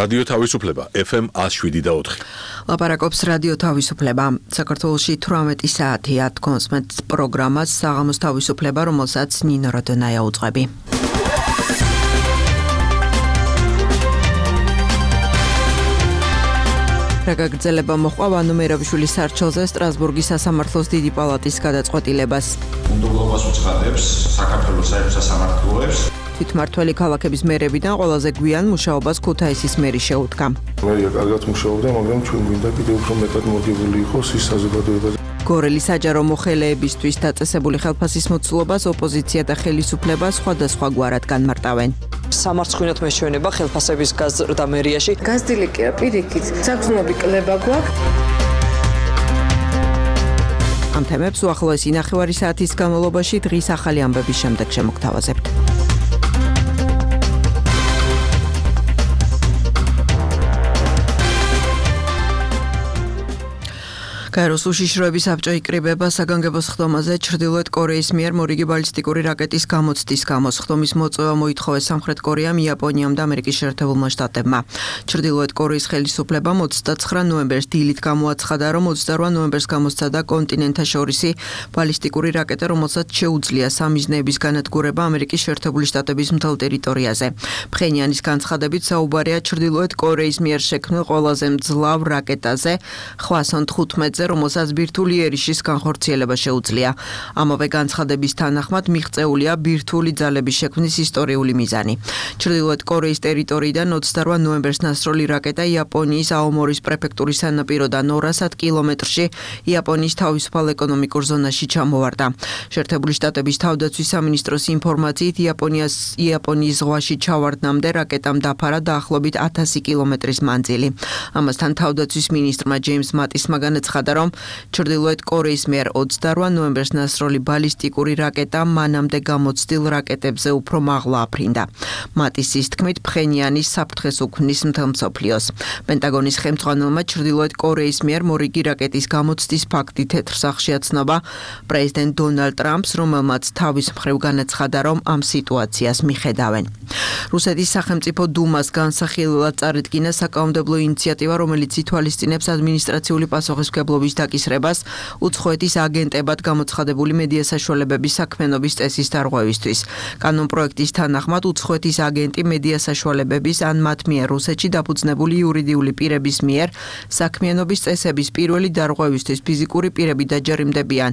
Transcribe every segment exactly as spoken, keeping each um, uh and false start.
რადიო თავისუფლება ეფ ემ one oh seven და four. ლაპარაკობს რადიო თავისუფლება. საქართველოში თვრამეტი საათია თქვენს მეტ პროგრამას საღამოს თავისუფლება, რომელსაც ნინო როდონაია უძღვები. რა გაგრძელება მოჰყვა ვანო მერაბიშვილის სარჩელზე სტრასბურგის სასამართლოს დიდი პალატის გადაწყვეტილებას. უნდობლობას უცხადებს საქართველოს საერთო სასამართლოებს. თვითმმართველი ქალაქების მერებიდან ყველაზე გვიან მუშაობას ქუთაისის მერი შეუდგა. მერია კარგად მუშაობდა, მაგრამ ჩვენ გვინდა კიდევ უფრო მეტად მოგებული იყოს ის საზოგადოებაზე. გორელის საჯარო მოხელეებისთვის დაწესებული ხელფასის მოცულობას ოპოზიცია და ხელისუფლება სხვადასხვა გვარად განმარტავენ. სამარცხვინოთ მეშვენება ხელფასების გაზრდა მერიაში. გაზრდილი კი რა პირიქით, საგრძნობი კლება გვაქვს. ამ თემებს უახლოესი ნახევარი საათის განმავლობაში დღის ახალი ამბების შემდეგ შემოგთავაზებთ. გაეროს უშიშროების საბჭო იკრიბება საგანგებო სხდომაზე ჩრდილოეთ კორეის მიერ მორიგი ბალისტიკური რაკეტის გამოცდის გამო. სხდომის მოწვევა მოითხოვეს სამხრეთ კორეამ, იაპონიამ და ამერიკის შეერთებულმა შტატებმა. ჩრდილოეთ კორეის ხელისუფლებამ ოცდაცხრა ნოემბერს დილით გამოაცხადა, რომ ოცდარვა ნოემბერს გამოსცადა კონტინენტთაშორისი ბალისტიკური რაკეტა, რომელსაც შეუძლია სამიზნეების განადგურება ამერიკის შეერთებული შტატების მთელ ტერიტორიაზე. ფხენიანის განცხადებით საუბარია ჩრდილოეთ კორეის მიერ შექმნილ ყველაზე მძლავრ რაკეტაზე ხვასონ თხუთმეტზე, რომელსაც ბირთვული ერიშის განხორციელება შეუძლია. ამავე განცხადების თანახმად მიღწეულია ბირთვული ძალების შექმნის ისტორიული მიზანი. ჩრდილოეთ კორეის ტერიტორიიდან ოცდარვა ნოემბერს ნასროლი რაკეტა იაპონიის აომორის პრეფექტურის სანაპიროდან ორასად კილომეტრში იაპონიის თავისუფალ ეკონომიკურ ზონაში ჩამოვარდა. შეერთებული შტატების თავდაცვის სამინისტროს ინფორმაციით იაპონიას იაპონიის ზღვაში ჩავარდნამდე რაკეტამ დაფარა დაახლოებით ათასი კილომეტრის მანძილი. ამასთან თავდაცვის მინისტრმა ჯეიმს მატისმა განაცხადა, რომ ჩრდილოეთ კორეის მიერ ოცდარვა ნოემბერს ნასროლი ბალისტიკური რაკეტა მანამდე გამოცდილ რაკეტებზე უფრო მაღლა აფრინდა. მატისის თქმით, ფხენიანი საფრთხეს უქმნის მთელ მსოფლიოს. პენტაგონის ხელმძღვანელმა ჩრდილოეთ კორეის მიერ მორიგი რაკეტის გამოცდის ფაქტი თეთრ სახლში აცნობა პრეზიდენტ დონალდ ტრამპს, რომელმაც თავის მხრივ განაცხადა, რომ ამ სიტუაციას მიხედავენ. რუსეთის სახელმწიფო დუმას განსახილველად წარედგინა საკანონმდებლო ინიციატივა, რომელიც ითვალისწინებს ადმინისტრაციული პასუხისმგებლობის დაკისრებას უცხოეთის აგენტებად გამოცხადებული მედია საშუალებების საქმიანობის წესის დარღვევისთვის. კანონპროექტის თანახმად უცხოეთის აგენტი მედია საშუალებების ან მათ მიერ რუსეთში დაფუძნებული იურიდიული პირების მიერ საქმიანობის წესების პირველი დარღვევისთვის ფიზიკური პირები დაჯერიმდებიან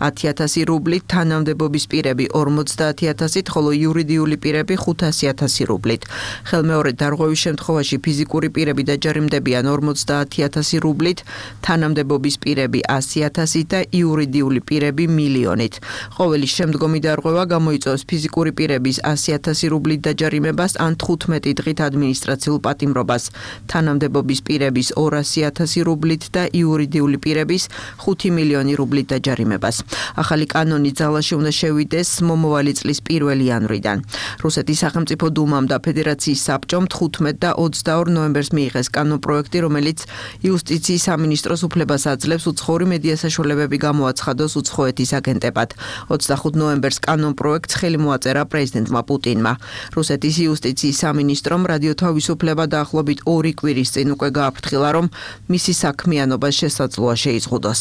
ათი ათასი რუბლით, თანამდებობის პირები ორმოცდაათი ათასით, ხოლო იურიდიული პირები ხუთასი ათასი რუბლით. ხელმეორედ დარღვევის შემთხვევაში ფიზიკური პირები დაჯერიმდებიან ორმოცდაათი ათასი რუბლით, თანამდებობის პირები ასი ათასით და იურიდიული პირები მილიონით. ყოველი შემდგომი დარღვევა გამოიწვევს ფიზიკური პირების ასი ათასი რუბლით დაჯარიმებას ან თხუთმეტი დღით ადმინისტრაციულ პატიმრობას, თანამდებობის პირების ორასი ათასი რუბლით და იურიდიული პირების ხუთი მილიონი რუბლით დაჯარიმებას. ახალი კანონი ძალაში უნდა შევიდეს მომავალი წლის პირველი იანვრიდან. რუსეთის სახელმწიფო დუმამ და ფედერაციის საბჭომ თხუთმეტ და ოცდაორ ნოემბერს მიიღეს კანონპროექტი, რომელიც იუსტიციის სამინისტროს უფლებას აძლევს უცხოური მედია საშუალებები გამოაცხადოს უცხოეთის აგენტებად. ოცდახუთ ნოემბერს კანონპროექტს ხელი მოაწერა პრეზიდენტმა პუტინმა. რუსეთის იუსტიციის სამინისტრომ რადიო თავისუფლება დაახლოებით ორი კვირის წინ უკვე გააფრთხილა, რომ მისი საქმიანობა შესაძლოა შეიზღუდოს.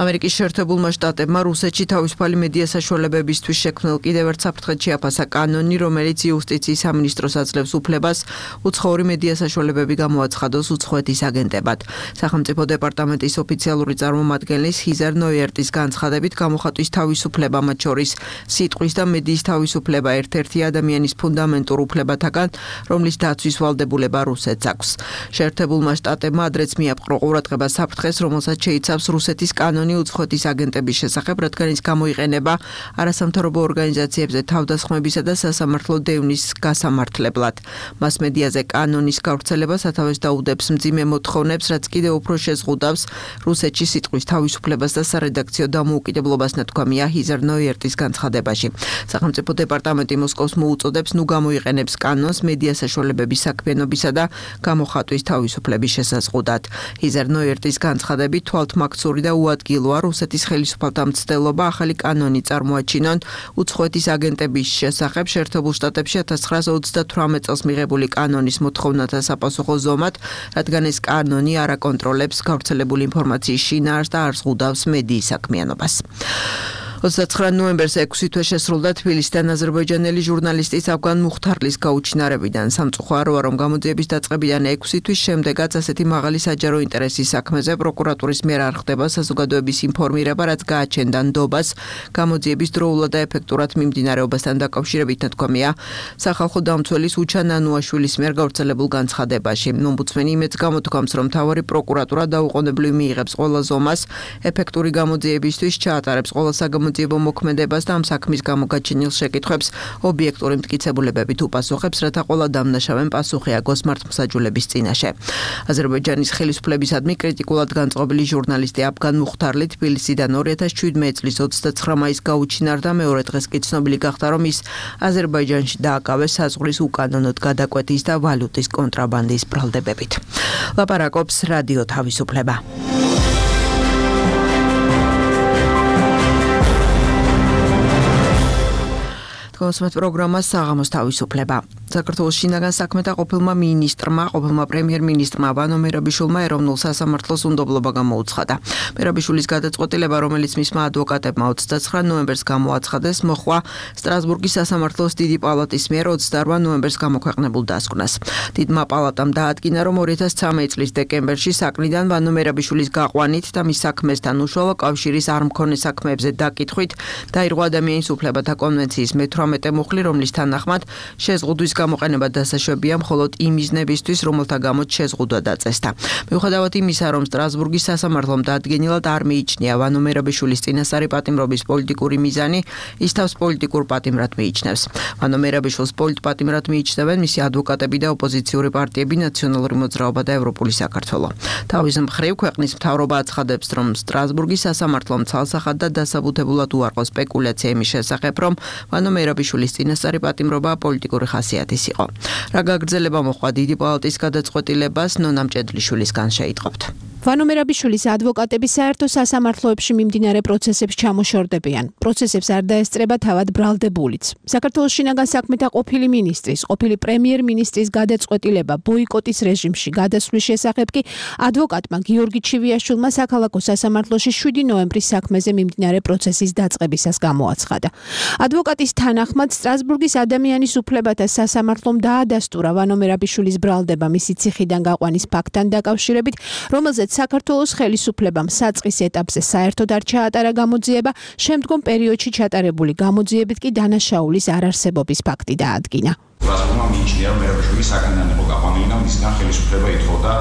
ამერიკის შეერთებულმა შტატებმა რუსეთში თავისუფალი მედია საშუალებებისთვის შექმნილ კიდევ ერთ საფრთხედ შეაფასა კანონი, რომელიც იუსტიციის სამინისტროს აძლევს უფლებას უცხოური მედია საშუალებები გამოაცხადოს უცხოეთის აგენტებად. სახელმწიფო დეპარტამენტის ოფიციალური წარმომადგენლის ჰიზარ ნოიერტის განცხადებით, გამოხატვის თავისუფლება, მათ შორის სიტყვის და მედიის თავისუფლება, ერთ-ერთი ადამიანის ფუნდამენტურ უფლებათაგან, რომლის დაცვის ვალდებულება რუსეთს აქვს. შეერთებულმა შტატებმა ადრეც მიაპყრო ყურადღება საფრთხეს, რომელსაც შეიცავს რუსეთის კანონი უცხოეთის აგენტების შესახებ, რადგან ის გამოიყენება არასამთავრობო ორგანიზაციებზე თავდასხმებისა და სასამართლო დევნის გასამართლებლად. მასმედიაზე კანონის გავრცელება სათავეს დაუდებს მძიმე მოთხოვნებს, რაც კიდევ უფრო შეზღუდავს რუსეთის რუსეთში სიტყვის თავისუფლებას და სარედაქციო დამოუკიდებლობას ნათქვამია ჰიზარ ნოიერტის განცხადებაში. სახელმწიფო დეპარტამენტი მოსკოვს მოუწოდებს ნუ გამოიყენებს კანონს მედია საშუალებების საქმიანობისა და გამოხატვის თავისუფლების შესაზღუდად. ჰიზარ ნოიერტის განცხადებით თვალთმაქცური და უადგილოა რუსეთის ხელისუფალთა მცდელობა ახალი კანონი წარმოაჩინონ უცხოეთის აგენტების შესახებ შეერთებულ შტატებში ათას ცხრაასა ოცდათვრამეტ წელს მიღებული კანონის მოთხოვნათა საპასუხო ზომად, რადგან ეს კანონი არ აკონტროლებს გავრცელებული ინფორმაციის შინაარსს და არ ზღუდავს მედიის საქმიანობას. ოცდაცხრა ნოემბერს ექვსი თვე შესრულდა თბილისიდან აზერბაიჯანელი ჟურნალისტის ავგან მუხთარლის გაუჩინარებიდან. სამწუხაროა, რომ გამოძიების დაწყებიდან ექვსი თვის შემდეგაც ასეთი მაღალი საჯარო ინტერესის საქმეზე პროკურატურის მიერ არ ხდება საზოგადოების ინფორმირება, რაც გააჩენდა ნდობას გამოძიების დროულად და ეფექტურად მიმდინარეობასთან დაკავშირებით ნათქვამია სახალხო დამცველის უჩან ანუაშვილის მიერ გავრცელებულ განცხადებაში. ომბუდსმენი იმედს გამოთქვამს, რომ მთავარი პროკურატურა დაუყოვნებლივ მიიღებს ყველა ზომას, ეფექტური გამოძიებისთვის ჩაატარებს ყველა საგამოძიებო მოქმედებას და ამ საქმის გამო გაჩენილ შეკითხვებს ობიექტური მტკიცებულებებით უპასუხებს, რათა ყველა დამნაშავემ პასუხი აგოს მართლმსაჯულების წინაშე. აზერბაიჯანის ხელისუფლებისადმი კრიტიკულად განწყობილი ჟურნალისტი ავგან მუხთარლი თბილისიდან ორი ათას შვიდმეტ წლის ოცდაცხრა მაისს გაუჩინარდა, მეორე დღეს კი ცნობილი გახდა, რომ ის აზერბაიჯანში დააკავეს საზღვრის უკანონოდ გადაკვეთის და ვალუტის კონტრაბანდის ბრალდებებით. ლაპარაკობს რადიო თავისუფლება. კონსმეთ პროგრამა საღამოს თავისუფლება. საქართველოს შინაგან საქმეთა ყოფილმა მინისტრმა, ყოფილმა პრემიერ-მინისტრმა ვანო მერაბიშვილმა ეროვნულ სასამართლოს უნდობლობა გამოუცხადა. მერაბიშვილის გადაწყვეტილება, რომელიც მისმა ადვოკატებმა ოცდაცხრა ნოემბერს გამოაცხადეს, მოხდა სტრასბურგის სასამართლოს დიდი პალატის მიერ ოცდაორ ნოემბერს გამოქვეყნებულ დასკვნას. დიდმა პალატამ დაადგინა, რომ ორი ათას ცხრამეტ წლის დეკემბერში საკნიდან ვანო მერაბიშვილის გაყვანით და მის საქმესთან უშუალო კავშირის არ მქონე საქმეებზე დაკითხვით დაირღვა ადამიანის უფლებათა კონვენციის მეთვრამეტე მუხლი, რომლის თანახმად შეზღუდვის გამოყენება დასაშვებია მხოლოდ იმ მიზნებისთვის, რომელთა გამოც შეზღუდვა დაწესდა. მიუხედავად იმისა, რომ სტრასბურგის სასამართლომ დაადგენილად არ მიიჩნია ვანო მერაბიშვილის წინასწარი პატიმრობის პოლიტიკური მიზანი, ის თავს პოლიტიკურ პატიმრად მიიჩნევს. ვანო მერაბიშვილს პოლიტპატიმრად მიიჩნევენ მისი ადვოკატები და ოპოზიციური პარტიები ნაციონალური მოძრაობა და ევროპული საქართველო. თავის მხრივ ქვეყნის მთავრობა აცხადებს, რომ სტრასბურგის სასამართლომ ცალსახად და დასაბუთებულად უარყო სპეკულაცია იმის შესახებ, რომ ვანო მერაბიშვილის წინასწარი პატიმრობა პოლიტიკური ხასიათის იყო. რა გაგრძელება მოხდა დიდი პალატის გადაწყვეტილებას ნონა მჭედლიშვილისგან შეიტყობთ. ვანო მერაბიშვილის ადვოკატები საერთო სასამართლოებში მიმდინარე პროცესებს ჩამოშორდებიან. პროცესებს არ დაესწრება თავად ბრალდებულიც. საქართველოს შინაგან საქმეთა ყოფილი მინისტრის, ყოფილი პრემიერ-მინისტრის გადაწყვეტილება ბოიკოტის რეჟიმში გადასვლის შესახებ კი ადვოკატმა გიორგი ჩივიაშვილმა საქალაქო სასამართლოში შვიდი ნოემბრის საქმეზე მიმდინარე პროცესის დაწყებისას გამოაცხადა. ადვოკატის თანახმად სტრასბურგის ადამიანის უფლებათა სასამართლომ დაადასტურა ვანო მერაბიშვილის ბრალდება მისი ციხიდან გაყვანის ფაქტთან დაკავშირებით, რომელზეც საქართველოს ხელისუფლებამ საწყის ეტაპზე საერთოდ არ ჩაატარა გამოძიება, შემდგომ პერიოდში ჩატარებული გამოძიებით კი დანაშაულის არარსებობის ფაქტი დაადგინა. სტრასბურგმა მიიჩნია, რომ მერაბიშვილის საკანიდან იყო გაყვანილი და მისგან ხელისუფლება ითხოვდა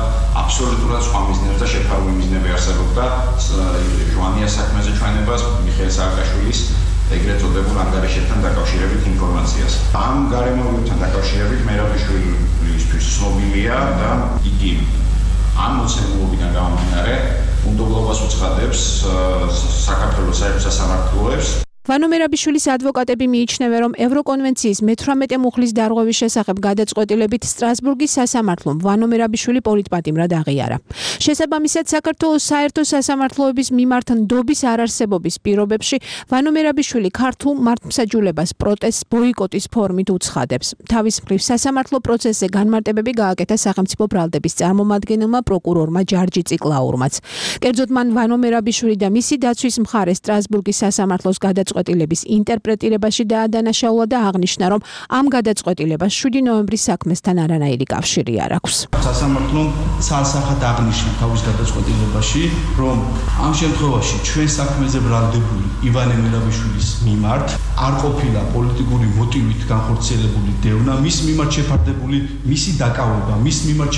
აბსოლუტურად სხვა მიზნებს და შეფარული მიზნები არსებობდა ჟვანიას საქმეზე ჩვენებას, მიხეილ სააკაშვილის ეგრეთ წოდებულ ანგარიშებთან დაკავშირებით ინფორმაციას. ამ გარემოებებთან დაკავშირებით მერაბიშვილისთვის ცნობილია და იგი ამ მოცემულობიდან გამომდინარე უნდობლობას უცხადებს საქართველოს საერთო სასამართლოებს. ვანო მერაბიშვილის ადვოკატები მიიჩნევენ, რომ ევროკონვენციის მეთვრამეტე მუხლის დარღვევის შესახებ გადაწყვეტილებით სტრასბურგის სასამართლომ ვანო მერაბიშვილი პოლიტპატიმრად აღიარა. შესაბამისად, საქართველოს საერთო სასამართლოების მიმართ ნდობის არარსებობის პირობებში ვანო მერაბიშვილი ქართულ მართლმსაჯულებას პროტესტს ბოიკოტის ფორმით უცხადებს. თავის მხრივ სასამართლო პროცესზე განმარტებები გააკეთა სახელმწიფო ბრალდების წარმომადგენელმა პროკურორმა ჯარჯი ციკლაურმაც. კერძოდ მან ვანო მერაბიშვილი და მისი დაცვის მხარე სტრასბურგის სასამართლოს გადაწყვეტილებით გადაწყვეტილების ინტერპრეტირებაში დაადანაშაულა და აღნიშნა, რომ ამ გადაწყვეტილებას შვიდი ნოემბრის საქმესთან არანაირი კავშირი არ აქვს. სასამართლომ ცალსახად აღნიშნა თავის გადაწყვეტილებაში, რომ ამ შემთხვევაში ჩვენ საქმეზე ბრალდებული ივანე მერაბიშვილის მიმართ არ ყოფილა პოლიტიკური მოტივით განხორციელებული დევნა, მის მიმართ შეფარდებული მისი დაკავება, მის მიმართ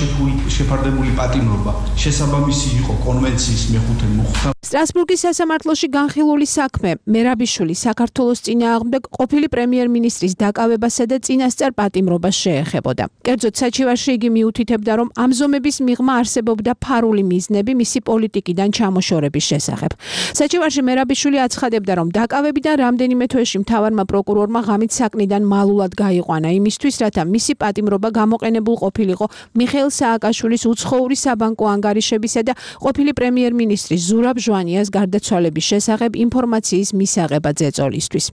შეფარდებული პატიმრობა შესაბამისი იყო კონვენციის მეხუთე მუხლთან. სტრასბურგის სასამართლოში განხილული საქმე მერაბიშვილი მამაშვილი საქართველოს წინააღმდეგ ყოფილი პრემიერ-მინისტრის დაკავებასა და წინასწარ პატიმრობას შეეხებოდა. კერძოდ საჩივარში იგი მიუთითებდა, რომ ამ ზომების მიღმა არსებობდა ფარული მიზნები მისი პოლიტიკიდან ჩამოშორების შესახებ. საჩივარში მერაბიშვილი აცხადებდა, რომ დაკავებიდან რამდენიმე თვეში მთავარმა პროკურორმა ღამით საკნიდან მალულად გაიყვანა იმისთვის, რათა მისი პატიმრობა გამოყენებულ ყოფილიყო მიხეილ სააკაშვილის უცხოური საბანკო ანგარიშებისა და ყოფილი პრემიერ-მინისტრის ზურაბ ჟვანიას გარდაცვალების შესახებ ინფორმაციის მისაღებად ზეწოლისთვის.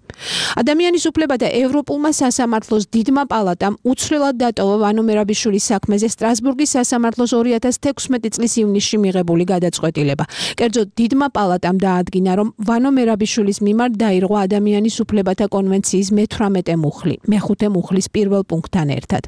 ადამიანის უფლებათა ევროპულმა სასამართლოს დიდმა პალატამ უცვლელად დატოვა ვანო მერაბიშვილის საქმეზე სტრასბურგის სასამართლოს ორი ათას თექვსმეტი წლის ივნისში მიღებული გადაწყვეტილება. კერძოდ დიდმა პალატამ დაადგინა, რომ ვანო მერაბიშვილის მიმართ დაირღვა ადამიანის უფლებათა კონვენციის მეთვრამეტე მუხლი, მეხუთე მუხლის პირველ პუნქტთან ერთად.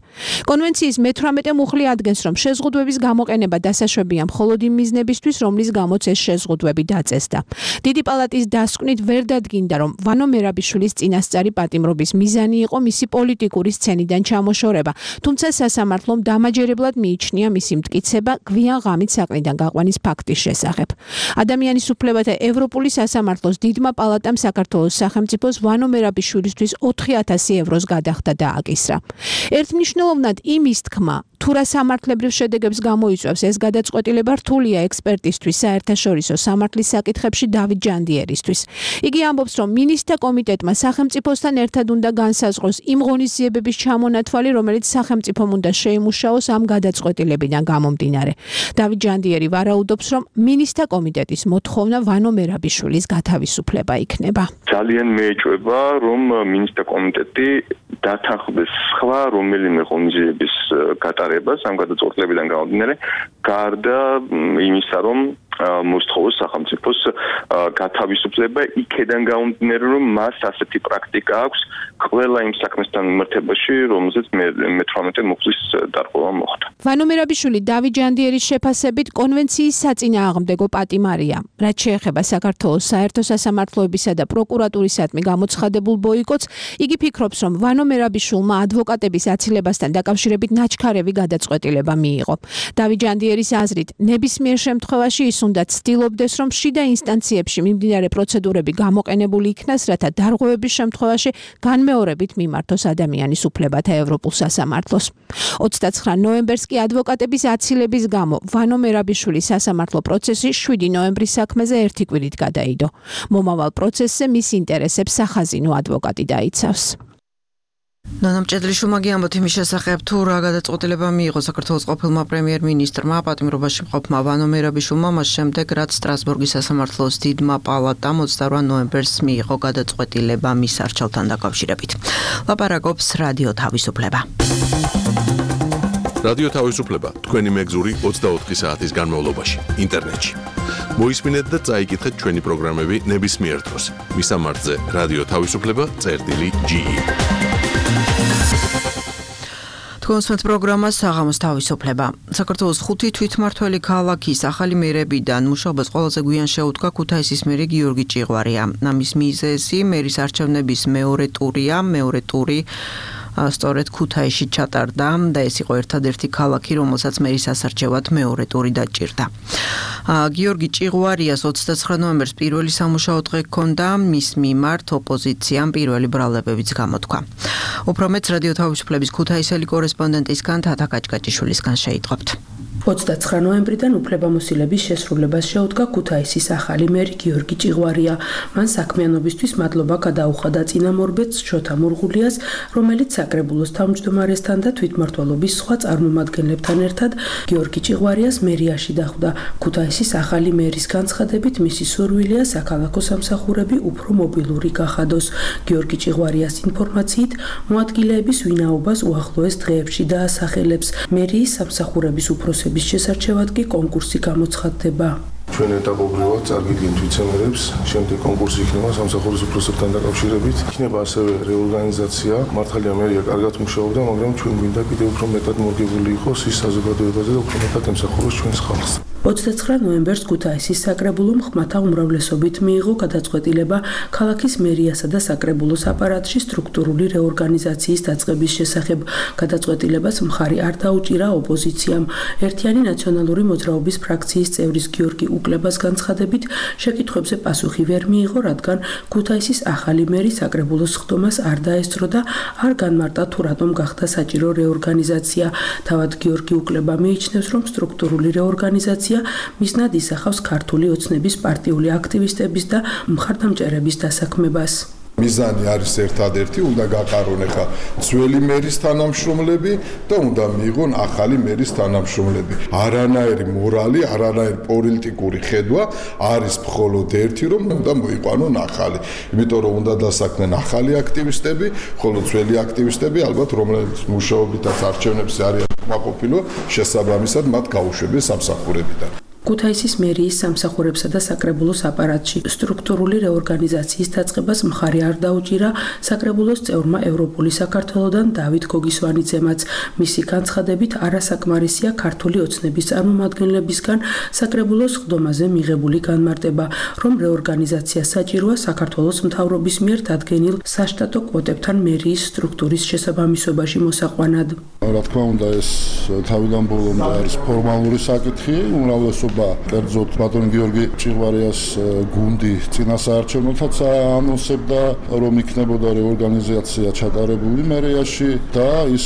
კონვენციის მეთვრამეტე მუხლი ადგენს, რომ შეზღუდვების გამოყენება დასაშვებია მხოლოდ იმ მიზნებისთვის, რომლის გამოც ეს შეზღუდვები დაწესდა. დიდი პალატის დასკვნით ვერ დადგინდა, რომ ვანო მერაბიშვილის წინასწარი პატიმრობის მიზანი იყო მისი პოლიტიკური სცენიდან ჩამოშორება, თუმცა სასამართლომ დამაჯერებლად მიიჩნია მისი მტკიცება გვიან ღამით საკნიდან გაყვანის ფაქტის შესახებ. ადამიანის უფლებათა ევროპული სასამართლოს დიდმა პალატამ საქართველოს სახელმწიფოს ვანო მერაბიშვილისთვის ოთხი ათასი ევროს გადახდა დააკისრა. ერთმნიშვნელოვნად იმის თქმა, თუ რა სამართლებრივ შედეგებს გამოიწვევს ეს გადაწყვეტილება, რთულია ექსპერტისთვის საერთაშორისო სამართლის საკითხებში დავით ჯანდიერისთვის. იგი ამბობს, რომ მინისტრთა კომიტეტმა სახელმწიფოსთან ერთად უნდა განსაზღვროს იმ ღონისძიებების ჩამონათვალი, რომელიც სახელმწიფომ უნდა შეიმუშაოს ამ გადაწყვეტილებიდან გამომდინარე. დავით ჯანდიერი ვარაუდობს, რომ მინისტრთა კომიტეტის მოთხოვნა ვანო მერაბიშვილის გათავისუფლება იქნება. ძალიან მეეჭვება, რომ მინისტრთა კომიტეტი დათანხმდეს სხვა რომელიმე ღონისძიების გატარებას ამ გადაწყვეტილებიდან გამომდინარე, გარდა იმისა, რომ მოსთხოვოს სახელმწიფოს გათავისუფლება იქედან გამომდინარე, რომ მას ასეთი პრაქტიკა აქვს ყველა იმ საქმესთან მიმართებაში, რომელზეც მეთვრამეტე მუხლის დარღვევა მოხდა. ვანო მერაბიშვილი დავით ჯანდიერის შეფასებით კონვენციის საწინააღმდეგო პატიმარია. რაც შეეხება საქართველოს საერთო სასამართლოებისა და პროკურატურისადმი გამოცხადებულ ბოიკოტს, იგი ფიქრობს, რომ ვანო მერაბიშვილმა ადვოკატების აცილებასთან დაკავშირებით ნაჩქარევი გადაწყვეტილება მიიღო. დავით ჯანდიერის აზრით, ნებისმიერ შემთხვევაში ის უნდა ცდილობდეს, რომ შიდა ინსტანციებში მიმდინარე პროცედურები გამოყენებული იქნას, რათა დარღვევების შემთხვევაში განმეორებით მიმართოს ადამიანის უფლებათა ევროპულ სასამართლოს. ოცდაცხრა ნოემბერს კი ადვოკატების აცილების გამო ვანო მერაბიშვილის სასამართლო პროცესი შვიდი ნოემბრის საქმეზე ერთი კვირით გადაიდო. მომავალ პროცესზე მის ინტერესებს სახაზინო ადვოკატი დაიცავს. ნანა მჭედლიშვილმა გიამბოთ იმის შესახებ, თუ რა გადაწყვეტილება მიიღო საქართველოს ყოფილმა პრემიერ-მინისტრმა პატიმრობაში მყოფმა ვანო მერაბიშვილმა მას შემდეგ, რაც სტრასბურგის სასამართლოს დიდმა პალატამ ოცდაორ ნოემბერს მიიღო გადაწყვეტილება მის არჩევთან დაკავშირებით. ლაპარაკობს რადიო თავისუფლება. რადიო თავისუფლება თქვენი მეგზური ოცდაოთხი საათის განმავლობაში ინტერნეტში. მოისმინეთ და წაიკითხეთ ჩვენი პროგრამები ნებისმიერ დროს. მისამართზე რადიო თავისუფლება წერტილი ჯი ი. კონსვენთ პროგრამა საღამოს თავისუფლება. საქართველოს ხუთი თვითმმართველი ქალაქის ახალი მერებიდან მუშაობას ყველაზე გვიან შეუდგა ქუთაისის მერი გიორგი ჭიღვარია. ამის მიზეზი მერის არჩევნების მეორე ტურია, მეორე ტური სწორედ ქუთაისში ჩატარდა და ეს იყო ერთადერთი ქალაქი, რომელსაც მერის ასარჩევად მეორე ტური დაჭირდა. გიორგი ჭიღვარიას ოცდაცხრა ნოემბერს პირველი სამუშაო დღე ჰქონდა, მის მიმართ ოპოზიციამ პირველი ბრალდებებიც გამოთქვა. უფრო მეტს რადიო თავისუფლების ქუთაისელი კორესპონდენტისგან თათა კაჭკაჭიშვილისგან შეიტყობთ. ოცდაცხრა ნოემბრიდან უფლებამოსილების შესრულებას შეუდგა ქუთაისის ახალი მერი გიორგი ჭიღვარია. მან საქმიანობისთვის მადლობა გადაუხადა წინამორბედს შოთა მურღულიას, რომელიც საკრებულოს თავმჯდომარესთან და თვითმმართველობის სხვა წარმომადგენლებთან ერთად გიორგი ჭიღვარიას მერიაში დახვდა. ქუთაისის ახალი მერის განცხადებით მისი სურვილია საქალაქო სამსახურები უფრო მობილური გახადოს. გიორგი ჭიღვარიას ინფორმაციით, მოადგილეების ვინაობას უახლოეს დღეებში დაასახელებს. მერიის სამსახურების უფროსების შესარჩევად კი კონკურსი გამოცხადდება. ჩვენ ეტაპობრივად წარგიდგენთ ვიცემერებს, შემდეგ კონკურსი იქნება სამსახურის უფროსებთან დაკავშირებით. იქნება ასევე რეორგანიზაცია. მართალია მერია კარგად მუშაობდა, მაგრამ ჩვენ გვინდა კიდევ უფრო მეტად მორგებული იყოს ის საზოგადოებაზე და უფრო მეტად ემსახუროს ჩვენს ხალხს. ოცდაცხრა ნოემბერს ქუთაისის საკრებულომ ხმათა უმრავლესობით მიიღო გადაწყვეტილება ქალაქის მერიასა და საკრებულოს აპარატში სტრუქტურული რეორგანიზაციის დაწყების შესახებ. გადაწყვეტილებას მხარი არ დაუჭირა ოპოზიციამ. ერთიანი ნაციონალური მოძრაობის ფრაქციის წევრის გიორგი უკლებას განცხადებით, შეკითხვებზე პასუხი ვერ მიიღო, რადგან ქუთაისის ახალი მერი საკრებულოს ხდომას არ დაესწრო და არ განმარტა თუ რატომ გახდა საჭირო რეორგანიზაცია. თავად გიორგი უკლება მიიჩნევს, რომ სტრუქტურული რეორგანიზაცია მიზნად ისახავს ქართული ოცნების პარტიული აქტივისტების და მხარდამჭერების დასაქმებას. მიზანი არის ერთადერთი, უნდა გაყარონ ახლა ძველი მერის თანამშრომლები და უნდა მიიღონ ახალი მერის თანამშრომლები. არანაირი მორალი, არანაირი პოლიტიკური ხედვა არის მხოლოდ ერთი, რომ უნდა მოიყვანონ ახალი. იმიტომ რომ უნდა დასაქმნან ახალი აქტივისტები, ხოლო ძველი აქტივისტები ალბათ რომლებიც მუშაობითაც არჩევნებზე არიან კმაყოფილო, შესაბამისად მათ გაუშვებენ სამსახურებიდან. ქუთაისის მერიის სამსახურებსა და საკრებულოს აპარატში სტრუქტურული რეორგანიზაციის დაწყებას მხარი არ დაუჭირა საკრებულოს წევრმა ევროპული საქართველოდან დავით გოგისვანიძემაც. მისი განცხადებით, არასაკმარისია ქართული ოცნების წარმომადგენლებისგან საკრებულოს ხდომაზე მიღებული განმარტება, რომ რეორგანიზაცია საჭიროა საქართველოს მთავრობის მიერ დადგენილ საშტატო კვოტებთან მერიის სტრუქტურის შესაბამისობაში მოსაყვანად. რა თქმა უნდა, ეს თავიდან ბოლომდე არის ფორმალური საკითხი, უმრავლესობა კერძოდ ბატონ გიორგი ჭიღვარიას გუნდი წინასაარჩევნოთაც ანონსებდა, რომ იქნებოდა რეორგანიზაცია ჩატარებული მერიაში და ის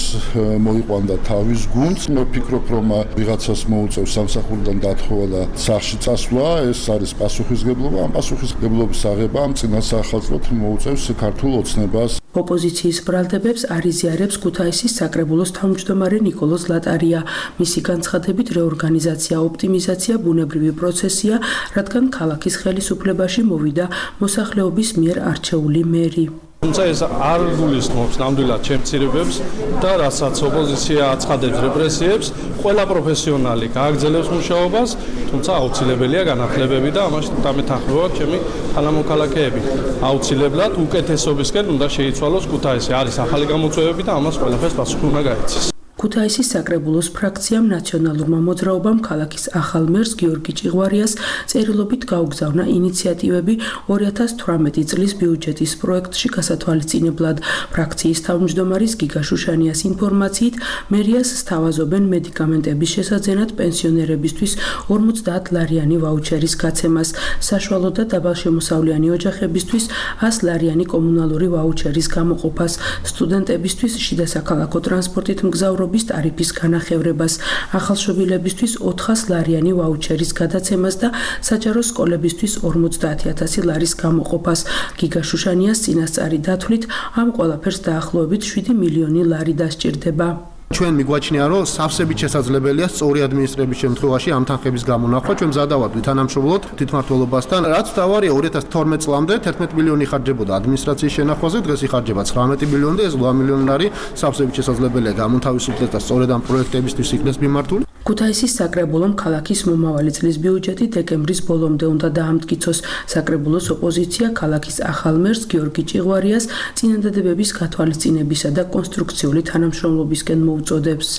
მოიყვანდა თავის გუნდს. მე ვფიქრობ, რომ ვიღაცას მოუწევს სამსახურიდან დათხოვა და სახლში წასვლა, ეს არის პასუხისგებლობა. ამ პასუხისგებლობის აღება ამ წინასახალწლოდ მოუწევს ქართულ ოცნებას. ოპოზიციის ბრალდებებს არ იზიარებს ქუთაისის საკრებულოს თავმჯდომარე ნიკოლოზ ლატარია. მისი განცხადებით, რეორგანიზაცია, ოპტიმიზაცია ბუნებრივი პროცესია, რადგან ქალაქის ხელისუფლებაში მოვიდა მოსახლეობის მიერ არჩეული მერი. თუმცა ეს არ გულისხმობს ნამდვილად ჩემცირებებს და რასაც ოპოზიცია აცხადებს რეპრესიებს, ყველა პროფესიონალი გააგრძელებს მუშაობას, თუმცა აუცილებელია განახლებები და ამაში დამეთანხმება ჩემი თანამოქალაქეები. აუცილებლად უკეთესობისკენ უნდა შეიცვალოს ქუთაისი. არის ახალი გამოწვევები და ამას ყველაფერს პასუხი უნდა გაეცეს. ქუთაისის საკრებულოს ფრაქციამ ნაციონალურმა მოძრაობამ ქალაქის ახალ მერს გიორგი ჭიღვარიას წერილობით გაუგზავნა ინიციატივები ორი ათას თვრამეტი წლის ბიუჯეტის პროექტში გასათვალისწინებლად. ფრაქციის თავმჯდომარის გიგა შუშანიას ინფორმაციით, მერიას სთავაზობენ მედიკამენტების შესაძენად პენსიონერებისთვის ორმოცდაათ ლარიანი ვაუჩერის გაცემას, საშუალო და დაბალშემოსავლიანი ოჯახებისთვის ას ლარიანი კომუნალური ვაუჩერის გამოყოფას, სტუდენტებისთვის შიდა საქალაქო ტრანსპორტით მგზავრობას ტარიფის განახევრებას, ახალშობილებისთვის ოთხას ლარიანი ვაუჩერის გადაცემას და საჯარო სკოლებისთვის ორმოცდაათი ათასი ლარის გამოყოფას. გიგა შუშანიას წინასწარი დათვლით, ამ ყველაფერს დაახლოებით შვიდი მილიონი ლარი დასჭირდება. ჩვენ მიგვაჩნია, რომ სავსებით შესაძლებელია სწორი ადმინისტრების შემთხვევაში ამ თანხების გამონახვა. ჩვენ მზადავართ თანამშრომლობთ თვითმმართველობასთან. რაც თავარია ორი ათას თორმეტ წლამდე თერთმეტი მილიონი ხარჯებოდა ადმინისტრაციის შენახვაზე, დღეს იხარჯება ცხრამეტი მილიონი და ეს ოცდაოთხ მილიონი ლარი სავსებით შესაძლებელია გამოთავისუფლდეს და სწორედ ამ პროექტებისთვის იქნეს მიმართული. ქუთაისის საკრებულომ ქალაქის მომავალი წლის ბიუჯეტი დეკემბრის ბოლომდე უნდა დაამტკიცოს. საკრებულოს ოპოზიცია ქალაქის ახალ მერს გიორგი ჭიღვარიას წინადადებების გათვალისწინებისა და კონსტრუქციული თანამშრომლობისკენ მოუწოდებს.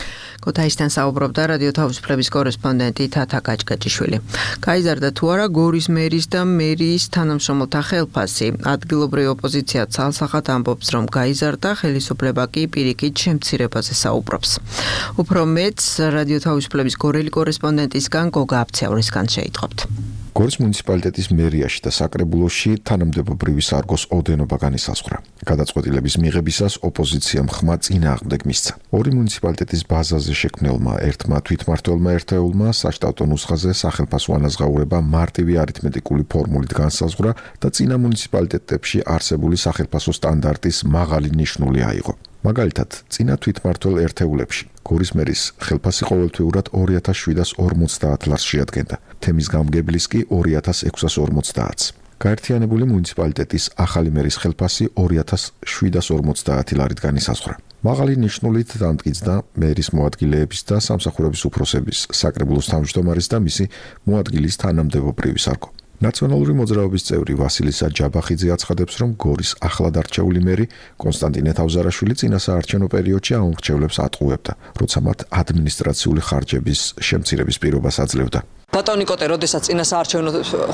ქუთაისთან საუბრობდა რადიო თავისუფლების კორესპონდენტი თათა კაჭკაჭიშვილი. გაიზარდა თუ არა გორის მერის და მერიის თანამშრომელთა ხელფასი. ადგილობრივი ოპოზიცია ცალსახად ამბობს, რომ გაიზარდა, ხელისუფლება კი პირიქით შემცირებაზე საუბრობს. უფრო მეტს რადიო თავისუფლების გორელი კორესპონდენტისგან გოგა აფცევრისგან შეიტყობთ. გორის მუნიციპალიტეტის მერიაში და საკრებულოში თანამდებობრივი სარგოს ოდენობა განისაზღვრა. გადაწყვეტილების მიღებისას ოპოზიციამ ხმა წინააღმდეგ მისცა. ორი მუნიციპალიტეტის ბაზაზე შექმნილმა ერთმა თვითმმართველმა ერთეულმა საშტატო ნუსხაზე სახელმწიფო ანაზღაურება მარტივი არითმეტიკული ფორმულით განსაზღვრა და წინა მუნიციპალიტეტებში არსებული სახელმწიფო სტანდარტის მაღალი ნიშნული აიღო. მაგალითად, წინა თვითმმართველ ერთეულებში გორის მერის ხელფასი ყოველთვიურად ორი ათას შვიდას ორმოცდაათ ლარს შეადგენდა. თემის გამგებლის კი ორი ათას ექვსას ორმოცდაათს. გაერთიანებული მუნიციპალიტეტის ახალი მერის ხელფასი ორი ათას შვიდას ორმოცდაათი ლარით განისაზღვრა. მაღალი ნიშნულით დამტკიცდა მერის მოადგილეების და სამსახურების უფროსების, საკრებულოს თავმჯდომარის და მისი მოადგილის თანამდებობრივი სარგო. ნაციონალური მოძრაობის წევრი ვასილისა ჯაბახიძე აცხადებს, რომ გორის ახლად არჩეული მერი კონსტანტინე თავზარაშვილი წინასაარჩევნო პერიოდში ამორჩევლებს ატყუებდა, როცა მათ ადმინისტრაციული ხარჯების შემცირების პირობას აძლევდა. ბატონი კოტე, როდესაც წინასაარჩევნო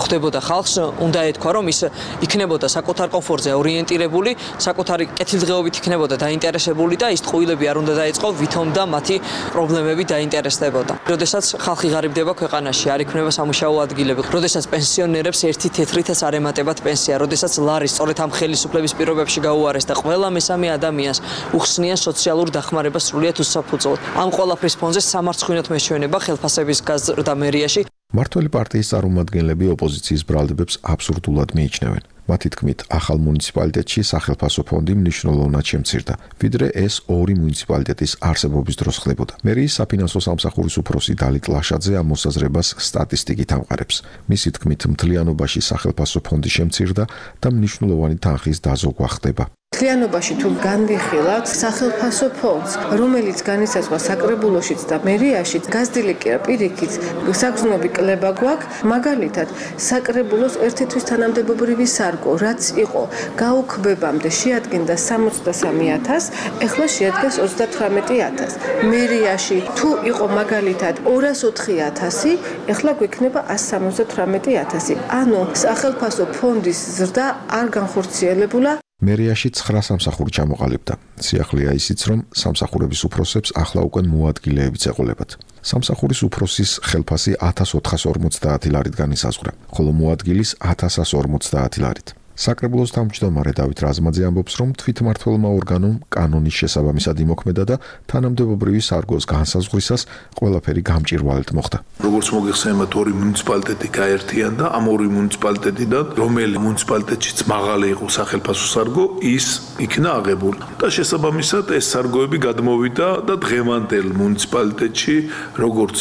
ხდებოდა ხალხს, უნდა ეთქვა, რომ ის იქნებოდა საკუთარ კომფორტზე ორიენტირებული, საკუთარი კეთილდღეობით იქნებოდა დაინტერესებული და ის ტყუილები არ უნდა დაეწყო, ვითომ და მათი პრობლემები დაინტერესდებოდა. როდესაც ხალხი ღარიბდება ქვეყანაში, არ იქნება სამუშაო ადგილები, როდესაც პენსიონერებს ერთი თეთრითაც არ ემატებათ პენსია, როდესაც ლარი სწორედ ამ ხელისუფლების პირობებში გაუარეს და ყველა მესამე ადამიანს უხსნიან სოციალურ დახმარებას სრულიად უსაფუძვლოდ. ამ ყველაფრის ფონზე სამარცხვინოდ მეჩვენება ხელფასების გაზრდა მერიაში. მართველი პარტიის წარმომადგენლები ოპოზიციის ბრალდებებს აბსურდულად მიიჩნევენ. მათი თქმით, ახალ მუნიციპალიტეტში სახელფასო ფონდი მნიშვნელოვნად შემცირდა, ვიდრე ეს ორი მუნიციპალიტეტის არსებობის დროს ხდებოდა. მერიის საფინანსო სამსახურის უფროსი დალით ლაშაძე ამ მოსაზრებას სტატისტიკით ამყარებს. მისი თქმით, მთლიანობაში სახელფასო ფონდი შემცირდა და მნიშვნელოვანი თანხის დაზოგვა ხდება. მთლიანობაში თუ განვიხილავთ სახელფასო ფონდს, რომელიც განისაზღვრა საკრებულოშიც და მერიაში, გაზრდილი კი არა პირიქით, საგრძნობი კლება გვაქვს, მაგალითად, საკრებულოს ერთი თვის თანამდებობრივი სარგო, რაც იყო გაუქმებამდე შეადგენდა სამოცდასამი ათასს, ეხლა შეადგენს ოცდათვრამეტი ათასს. მერიაში თუ იყო მაგალითად ორას ოთხი ათასი, ეხლა გვექნება ასი სამოცდათვრამეტი ათასი. ანუ სახელფასო ფონდის ზრდა არ განხორციელებულა. მერიაში ცხრა სამსახური ჩამოყალიბდა. სიახლეა ისიც, რომ სამსახურების უფროსებს ახლა უკვე მოადგილეებიც ეყოლებათ. სამსახურის უფროსის ხელფასი ათას ოთხას ორმოცდაათი ლარით განისაზღვრა, ხოლო მოადგილის ათას ასი ორმოცდაათი ლარით. საკრებულოს თავმჯდომარე დავით რაზმაძე ამბობს, რომ თვითმმართველმა ორგანომ კანონის შესაბამისად იმოქმედა და თანამდებობრივი სარგოს განსაზღვრისას ყველაფერი გამჭირვალედ მოხდა. როგორც მოგეხსენებათ, ორი მუნიციპალიტეტი გაერთიანდა, ამ ორი მუნიციპალიტეტიდან, რომელი მუნიციპალიტეტშიც მაღალი იყო სახელფასო სარგო, ის იქნა აღებული. და შესაბამისად ეს სარგოები გადმოვიდა და დღევანდელ მუნიციპალიტეტში, როგორც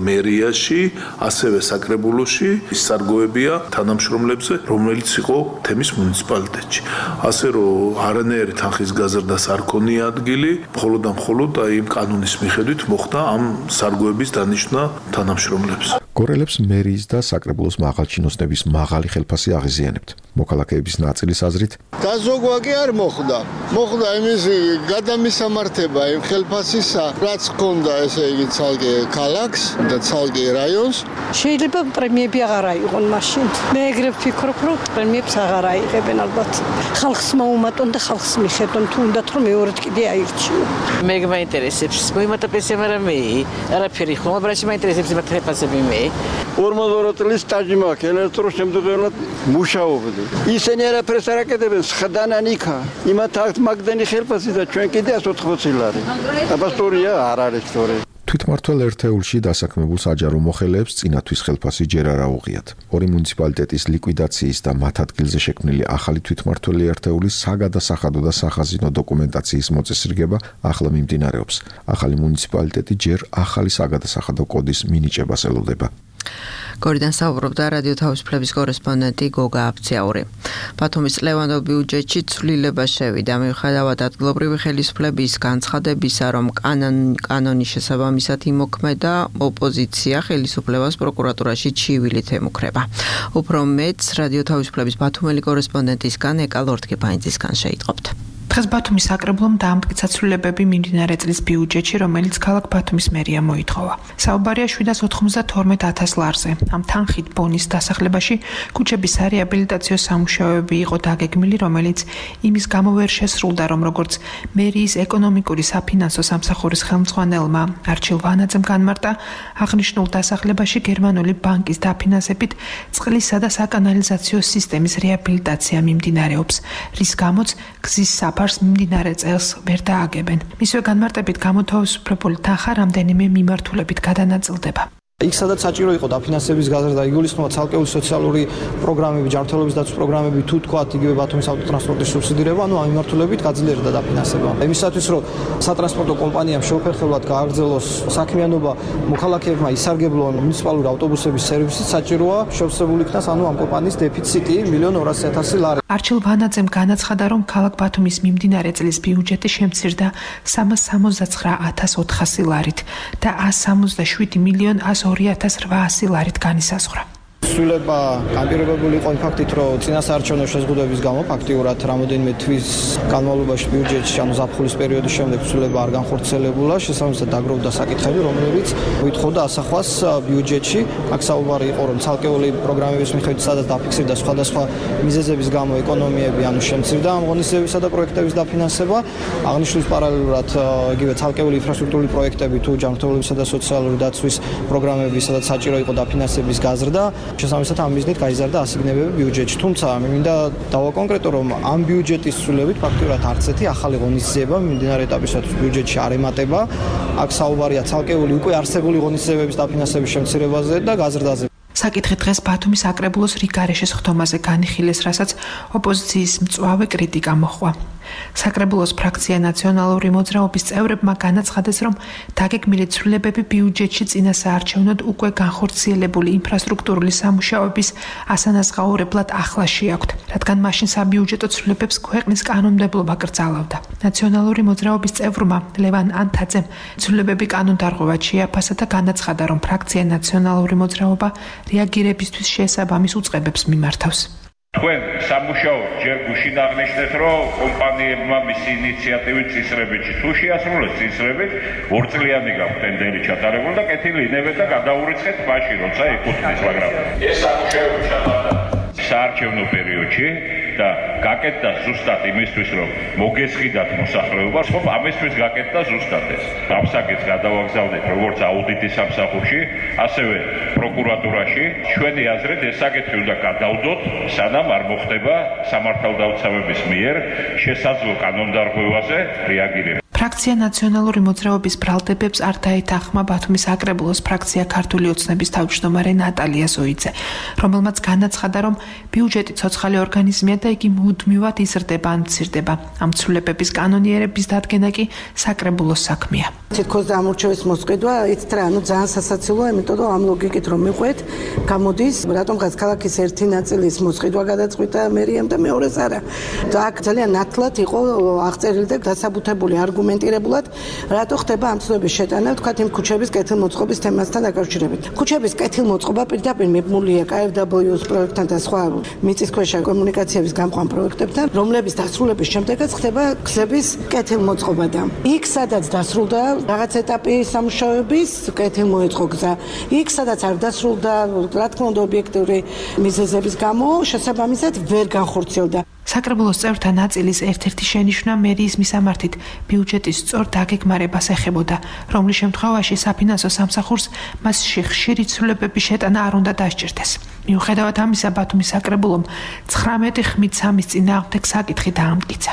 მერიაში, ასევე საკრებულოში, ის სარგოებია თანამშრომლებზე, რომელიც იყო თემის მუნიციპალიტეტში. ასე რომ არანაირი თანხის გაზრდას არ ქონია ადგილი, მხოლოდ და მხოლოდ აი იმ კანონის მიხედვით მოხდა ამ სარგოების დანიშვნა თანამშრომლებს. გორელებს მერიის და საკრებულოს მაღალჩინოსნების მაღალი ხელფასი აღიზიანებთ. მოქალაქეების ნაწილის აზრით, დაზოგვა კი არ მოხდა. მოხდა იმის გადამისამართება იმ ხელფასისა, რაც ჰქონდა ესე იგი ცალკე ქალაქს და ცალკე რაიონს. შეიძლება პრემიები აღარ აიღონ მაშინ. მე ეგრე ვფიქრობ, რომ პრემიებს აღარ აიღებენ ალბათ. ხალხს მოუმატონ და ხალხს მიხედონ, თუ უნდათ რომ მეორედ კიდე აირჩიო. მე მაინტერესებს, მოიმატა პენსია, მაგრამ მე არაფერი ხომ, ბრაში მაინტერესებს იმათ ხელფასები მე. ორმოცდაორი წლის სტაჟი მაქვს, ელექტრო შემდგენად მუშაობდი. ისინი არაფერს არ აკეთებენ, ხდანან იქა. იმათ აქვს მაგდენი ხელფასი და ჩვენ კიდე ასი ოთხმოცი ლარი. აბასტორია არ არის სწორი. თვითმმართველ ერთეულში დასაქმებულ საჯარო მოხელეებს წინათვის ხელფასი ჯერ არ აუღიათ. ორი მუნიციპალიტეტის ლიკვიდაციის და მათ ადგილზე შექმნილი ახალი თვითმმართველი ერთეულის საგადასახადო და სახაზინო დოკუმენტაციის მოწესრიგება ახლა მიმდინარეობს. ახალი მუნიციპალიტეტი ჯერ ახალი საგადასახადო კოდის მინიჭებას ელოდება. გორიდან საუბრობდა რადიო თავისუფლების კორესპონდენტი გოგა აფციაური. ბათუმის ლევანდო ბიუჯეტში ცვლილება შევიდა, მიუხედავად ადგილობრივი ხელისუფლების განცხადებისა, რომ კანონის შესაბამისად იმოქმედა, ოპოზიცია ხელისუფლებას პროკურატურაში ჩივილით ემუქრება. უფრო მეტს რადიო თავისუფლების ბათუმელი კორესპონდენტისგან ეკა ლორთქიფაინძისგან შეიტყობთ. დღეს ბათუმის საკრებულომ დაამტკიცა ცვლილებები მიმდინარე წლის ბიუჯეტში, რომელიც ქალაქ ბათუმის მერია მოითხოვა. საუბარია შვიდას ოცდაათი ათას ლარზე. ამ თანხით ბონის დასახლებაში ქუჩებისარეაბილიტაციო სამუშაოები იყო დაგეგმილი, რომელიც იმის გამო ვერ შესრულდა, რომ როგორც მერიის ეკონომიკური საფინანსო სამსახურის ხელმძღვანელმა არჩილ ვანაძემ განმარტა, აღნიშნულ დასახლებაში გერმანული ბანკის დაფინანსებით წყლისა და საკანალიზაციო სისტემის რეაბილიტაცია მიმდინარეობს, რის გამოც გზის საფარს მიმდინარე წელს ვერ დააგებენ. მისვე განმარტებით გამოთავისუფლებული თანხა რამდენიმე მიმართულებით გადანაწილდება. იქ სადაც საჭირო იყო დაფინანსების გაზრდა, იგულისხმება ცალკეული სოციალური პროგრამები, ჯანმრთელობის დაცვის პროგრამები, თუ თქვათ იგივე ბათუმის ავტოტრანსპორტის სუბსიდირება, ანუ ამ მიმართულებით გაძლიერდა დაფინანსება. იმისათვის, რომ სატრანსპორტო კომპანიამ შეუფერხებლად გააგრძელოს საქმიანობა, მოქალაქეებმა ისარგებლონ მუნიციპალური ავტობუსების სერვისით, საჭიროა შევსებული იქნას ანუ ამ კომპანიის დეფიციტი მილიონ ორასი ათასი ლარი. არჩილ ვანაძემ განაცხადა, რომ ქალაქ ბათუმის მიმდინარე წლის ბიუჯეტი შემცირდა სამას სამოცდაცხრა ათას ოთხასი ლარით და ასს სამოცდაშვიდი მილიონ ასს ორი ათას რვაასი ლარით განისაზღვრა. ცვლილება განპირობებული იყო იმ ფაქტით, რომ წინასაარჩევნო შეზღუდვების გამო ფაქტიურად რამოდენიმე თვის განმავლობაში ბიუჯეტში, ანუ ზაფხულის პერიოდის შემდეგ ცვლილება არ განხორციელებულა, შესაბამისად დაგროვდა საკითხები, რომლებიც ვითხოვდა ასახვას ბიუჯეტში. აქ საუბარი იყო, რომ ცალკეული პროგრამების მიხედვით სადაც დაფიქსირდა სხვადასხვა მიზეზების გამო ეკონომიები, ანუ შემცირდა ამ ღონისძიებისა და პროექტების დაფინანსება. აღნიშნულ პარალელურად იგივე ცალკეული ინფრასტრუქტურული პროექტები თუ ჯანმრთელობისა და სოციალური დაცვის პროგრამები, სადაც საჭირო იყო დაფინანსების გაზრდა, შესაბამისად ამ მიზნით გაიზარდა ასიგნებები ბიუჯეტში. თუმცა მინდა დავაკონკრეტო, რომ ამ ბიუჯეტის ცვლილებით ფაქტიურად არც ერთი ახალი ღონისძიება მიმდინარე ეტაპისათვის ბიუჯეტში არ ემატება. აქ საუბარია ცალკეული უკვე არსებული ღონისძიებების დაფინანსების შემცირებაზე და გაზრდაზე. საკითხი დღეს ბათუმის აკრებულოს რიგარეშის ხდომაზე განიხილეს, რასაც ოპოზიციის მწვავე კრიტიკა მოჰყვა. საკრებულოს ფრაქცია ნაციონალური მოძრაობის წევრებმა განაცხადეს, რომ დაგეგმილი ცვლილებები ბიუჯეტში წინასაარჩევნოდ უკვე განხორციელებული ინფრასტრუქტურული სამუშაოების ასანაზღაურებლად ახლა შეაქვთ, რადგან მაშინ საბიუჯეტო ცვლილებებს ქვეყნის კანონმდებლობა კრძალავდა. ნაციონალური მოძრაობის წევრმა ლევან ანთაძემ ცვლილებები კანონდარღვევად შეაფასა და განაცხადა, რომ ფრაქცია ნაციონალური მოძრაობა რეაგირებისთვის შესაბამის უწყებებს მიმართავს. თქვენ სამუშაოდ ჯერ გუშინ აღნიშნეთ, რომ კომპანიებმა მისი ინიციატივით წინსრებითში თუ შეასრულეს წინსრებით, ორწლიანი გაქვთ ტენდერი ჩატარებული და კეთილი ინებეთ და გადაურიცხეთ მაშინ, როცა ეკუთვნის, მაგრამ ეს სამუშაოები ჩატარდა საარჩევნო პერიოდში და გაკეთდა ზუსტად იმისთვის, რომ მოგესყიდათ მოსახლეობა, ხომ ამისთვის გაკეთდა ზუსტად ეს. ამ საკითხს გადავაგზავნეთ როგორც აუდიტის სამსახურში, ასევე პროკურატურაში. ჩვენი აზრით ეს საკითხი უნდა გადავდოთ, სანამ არ მოხდება სამართალდამცავების მიერ შესაძლო კანონდარღვევაზე რეაგირება. ფრაქცია ნაციონალური მოძრაობის ბრალდებებს არ დაეთანხმა ბათუმის აკრებულოს ფრაქცია ქართული ოცნების თავმჯდომარე ნატალია ზოიძე, რომელმაც განაცხადა, რომ ბიუჯეტი ცოცხალი ორგანიზმია და იგი მუდმივად იზრდება ან მცირდება. ამ ცვლილებების კანონიერების დადგენა კი საკრებულოს საქმეა. თითქოს ამორჩევის მოსყიდვა, იცით რა, ანუ ძალიან სასაცილოა, იმიტომ რომ ამ ლოგიკით რომ მიყვეთ, გამოდის, რატომღაც ქალაქის ერთი ნაწილის მოსყიდვა გადაწყვიტა მერიამ და მეორეს არა. და აქ ძალიან ნათლად იყო აღწერილი და დასაბუთებული არგუმენტირებულად, რატო ხდება ამ ცვლილების შეტანა, თქვათ იმ ქუჩების კეთილმოწყობის თემასთან დაკავშირებით. ქუჩების კეთილმოწყობა პირდაპირ მიბმულია კაი ეფ დაბლიუ ეს პროექტთან და სხვა მიწისქვეშა კომუნიკაციების გამყვან პროექტებთან, რომლების დასრულების შემდეგაც ხდება გზების კეთილმოწყობა და იქ სადაც დასრულდა რაღაც ეტაპი სამუშაოების, კეთილმოეწყო გზა. იქ სადაც არ დასრულდა, რა თქმა უნდა, ობიექტური მიზეზების გამო, შესაბამისად ვერ განხორციელდა. საკრებულოს წევრთა ნაწილის ერთ-ერთი შენიშვნა მერიის მისამართით ბიუჯეტის სწორ დაგეგმარებას ეხებოდა, რომლის შემთხვევაში საფინანსო სამსახურს მასში ხშირი ცვლილებების შეტანა არ უნდა დასჭირდეს. მიუხედავად ამისა, ბათუმის საკრებულომ ცხრამეტი ხმით სამის წინააღმდეგ საკითხი დაამტკიცა.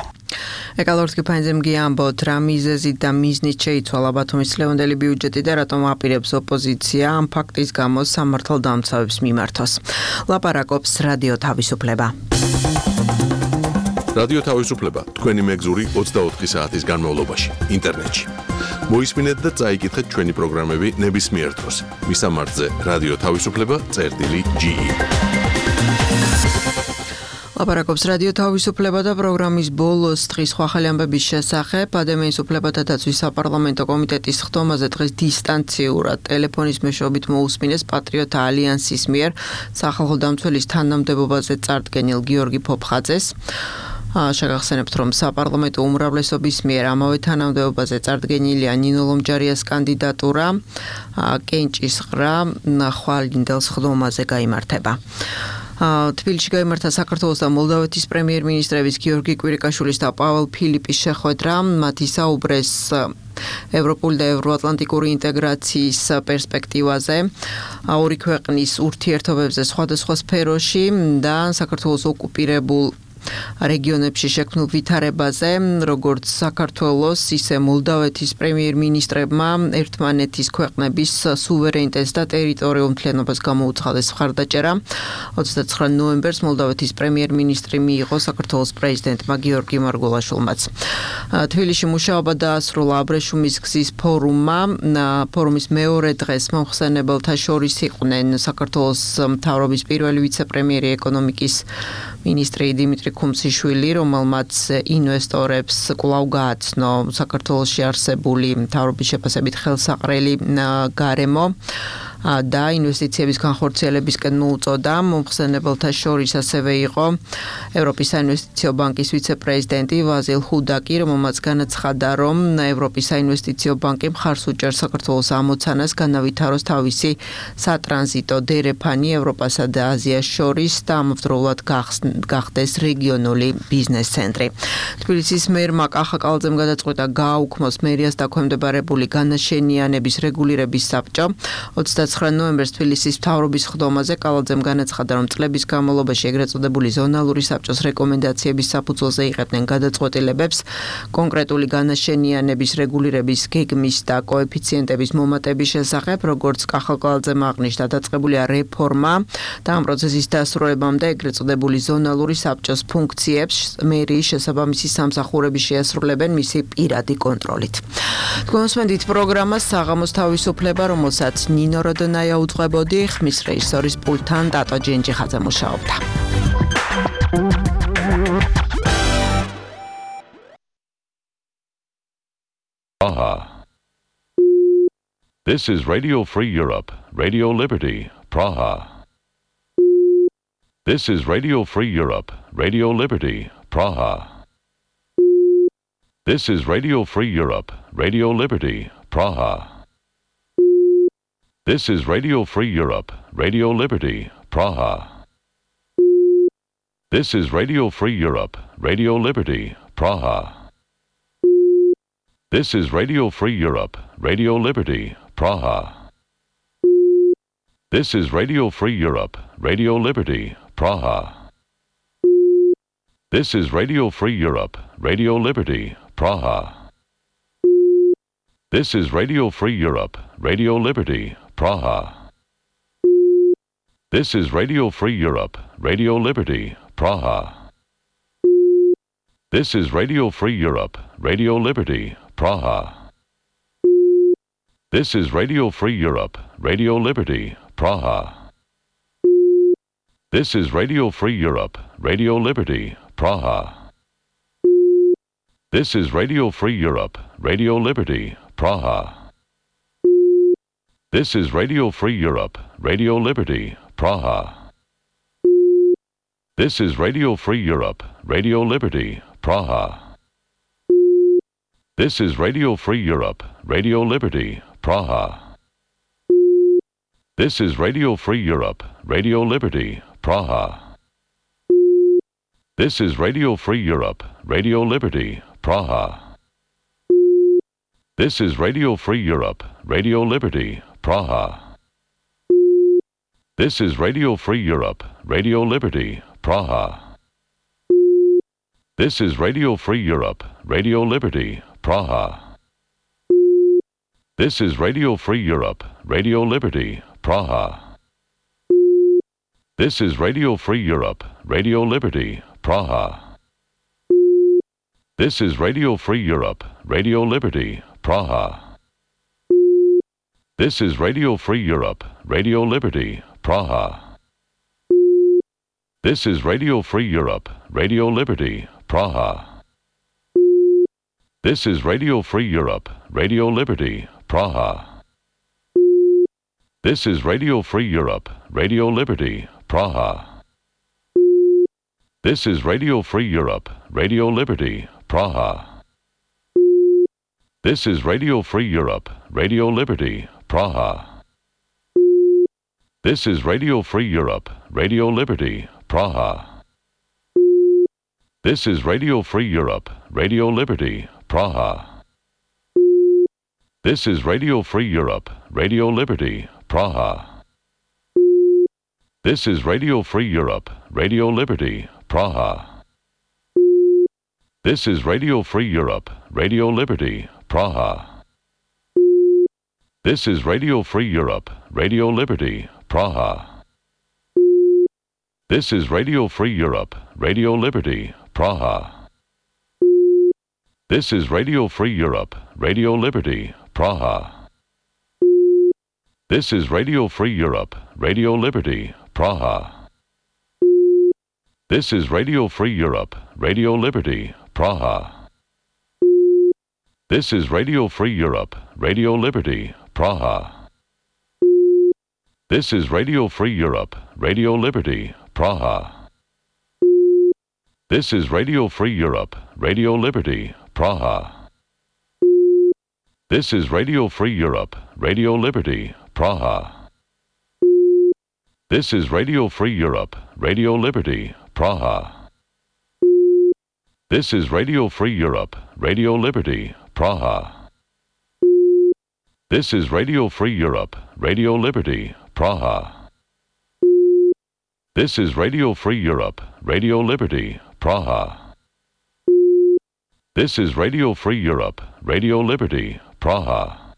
ეკალორთკი ფაინზემგი ამბობთ, რა მიზეზით და მიზნით შეიცვალა ბათუმის ლევანდელი ბიუჯეტი და რატომ აპირებს ოპოზიცია ამ ფაქტის გამო სამართალდამცავებს მიმართოს. ლაპარაკობს რადიო თავისუფლება. რადიო თავისუფლება თქვენი მეგზური ოცდაოთხი საათის განმავლობაში ინტერნეტში. მოისმინეთ და წაიკითხეთ ჩვენი პროგრამები ნებისმიერ დროს. მისამართზე რადიო თავისუფლება წერტილი ჯი ი. ლაპარაკობს რადიო თავისუფლება და პროგრამის ბოლოს დღის სხვა ახალი ამბების შესახებ. ადამიანის უფლებათა დაცვის საპარლამენტო კომიტეტის ხდომაზე დღეს დისტანციურად ტელეფონის მეშვეობით მოусმინეს პატრიოტ ალიანსის მიერ სახალხო დამცველის თანამდებობაზე წარდგენილ გიორგი ფოფხაძეს. შეგახსენებთ, რომ საპარლამენტო უმრავლესობის მიერ ამავე თანამდებობაზე წარდგენილია ნინო ლომჯარიას კანდიდატურა. კენჭის ყრა ხვალინდელს ხდომაზე გაიმართება. თბილისში გაიმართა საქართველოს და მოლდავეთის პრემიერ-მინისტრების გიორგი კვირიკაშვილის და პაველ ფილიპის შეხვედრა. მათ ისაუბრეს ევროპული და ევროატლანტიკური ინტეგრაციის პერსპექტივაზე, ორი ქვეყნის ურთიერთობებზე სხვადასხვა სფეროში და საქართველოს ოკუპირებულ რეგიონებში შექმნილ ვითარებაზე, როგორც საქართველოს, ისე მოლდავეთის პრემიერ-მინისტრებმა ერთმანეთის ქვეყნების სუვერენიტეტს და ტერიტორიულ მთლიანობას გამოუცხადეს მხარდაჭერა. ოცდაცხრა ნოემბერს მოლდავეთის პრემიერ-მინისტრი მიიღო საქართველოს პრეზიდენტმა გიორგი მარგველაშვილმაც. თბილისში მუშაობა დაასრულა აბრეშუმის გზის ფორუმმა. ფორუმის მეორე დღეს მომხსენებელთა შორის იყვნენ საქართველოს მთავრობის პირველი ვიცე-პრემიერი ეკონომიკის მინისტრი დიმიტრი ქუმსიშვილი, რომელმაც ინვესტორებს კვლავ გააცნო საქართველოში არსებული მთავრობის შეფასებით ხელსაყრელი გარემო. და ინვესტიციების განხორციელებისკენ მოუწოდა. მომხსენებელთა შორის ასევე იყო ევროპის საინვესტიციო ბანკის ვიცე-პრეზიდენტი ვაზილ ჰუდაკი, რომელმაც განაცხადა, რომ ევროპის საინვესტიციო ბანკი მხარს უჭერს საქართველოს ამოცანას განავითაროს თავისი სატრანზიტო დერეფანი ევროპასა და აზიას შორის და ამავდროულად გახდეს რეგიონული ბიზნეს ცენტრი. თბილისის მერმა კახაკალაძემ გადაწყვიტა გააუქმოს მერიას დაქვემდებარებული განაშენიანების რეგულირების საბჭო. ოცდაცხრა ნოემბერს თბილისის მთავრობის ხდომაზე კალაძემ განაცხადა, რომ წლების განმავლობაში ეგრეთ წოდებული ზონალური საბჭოს რეკომენდაციების საფუძველზე იღებდნენ გადაწყვეტილებებს კონკრეტული განაშენიანების რეგულირების გეგმის და კოეფიციენტების მომატების შესახებ, როგორც კახაკალაძემ აღნიშნა, დაწყებულია რეფორმა და ამ პროცესის დასრულებამდე ეგრეთ წოდებული ზონალური საბჭოს ფუნქციებს მერიის შესაბამისი სამსახურები შეასრულებენ მისი პირადი კონტროლით. თქვენსმენდით პროგრამას საღამოს თავისუფლება, რომელსაც ნინო როდონაია უძღვებოდი, ხმის რეჟისორის პულტთან დატო ჯენჯიხაძე მუშაობდა. Praha. This is Radio Free Europe, Radio Liberty, Praha. This is Radio Free Europe, Radio Liberty, Praha. This is Radio Free Europe, Radio Liberty, Praha. This is Radio Free Europe, Radio Liberty, Praha. This is Radio Free Europe, Radio Liberty, Praha. This is Radio Free Europe, Radio Liberty, Praha. This is Radio Free Europe, Radio Liberty, Praha. This is Radio Free Europe, Radio Liberty, Praha. This is Radio Free Europe, Radio Liberty, Praha. This is Radio Free Europe, Radio Liberty, Praha. This is Radio Free Europe, Radio Liberty, Praha. This is Radio Free Europe, Radio Liberty, Praha. This is Radio Free Europe, Radio Liberty, Praha. This is Radio Free Europe, Radio Liberty, Praha. This is Radio Free Europe, Radio Liberty, Praha. This is Radio Free Europe, Radio Liberty, Praha. This is Radio Free Europe, Radio Liberty, Praha. This is Radio Free Europe, Radio Liberty, Praha. This is Radio Free Europe, Radio Liberty, Praha. This is Radio Free Europe, Radio Liberty, Praha. This is Radio Free Europe, Radio Liberty, Praha. This is Radio Free Europe, Radio Liberty, Praha. This is Radio Free Europe, Radio Liberty, Praha. This is Radio Free Europe, Radio Liberty, Praha. This is Radio Free Europe, Radio Liberty, Praha. This is Radio Free Europe, Radio Liberty, Praha. This is Radio Free Europe, Radio Liberty, Praha. This is Radio Free Europe, Radio Liberty, Praha. This is Radio Free Europe, Radio Liberty, Praha. This is Radio Free Europe, Radio Liberty, Praha. This is Radio Free Europe, Radio Liberty, Praha. This is Radio Free Europe, Radio Liberty, Praha. This is Radio Free Europe, Radio Liberty, Praha. This is Radio Free Europe, Radio Liberty, Praha. This is Radio Free Europe, Radio Liberty, Praha. This is Radio Free Europe, Radio Liberty, Praha. This is Radio Free Europe, Radio Liberty, Praha. This is Radio Free Europe, Radio Liberty, Praha. This is Radio Free Europe, Radio Liberty, Praha. This is Radio Free Europe, Radio Liberty, Praha. This is Radio Free Europe, Radio Liberty, Praha. This is Radio Free Europe, Radio Liberty, Praha. This is Radio Free Europe, Radio Liberty, Praha. This is Radio Free Europe, Radio Liberty, Praha. This is Radio Free Europe, Radio Liberty, Praha. This is Radio Free Europe, Radio Liberty, Praha. This is Radio Free Europe, Radio Liberty, Praha. This is Radio Free Europe, Radio Liberty, Praha. This is Radio Free Europe, Radio Liberty, Praha. This is Radio Free Europe, Radio Liberty, Praha.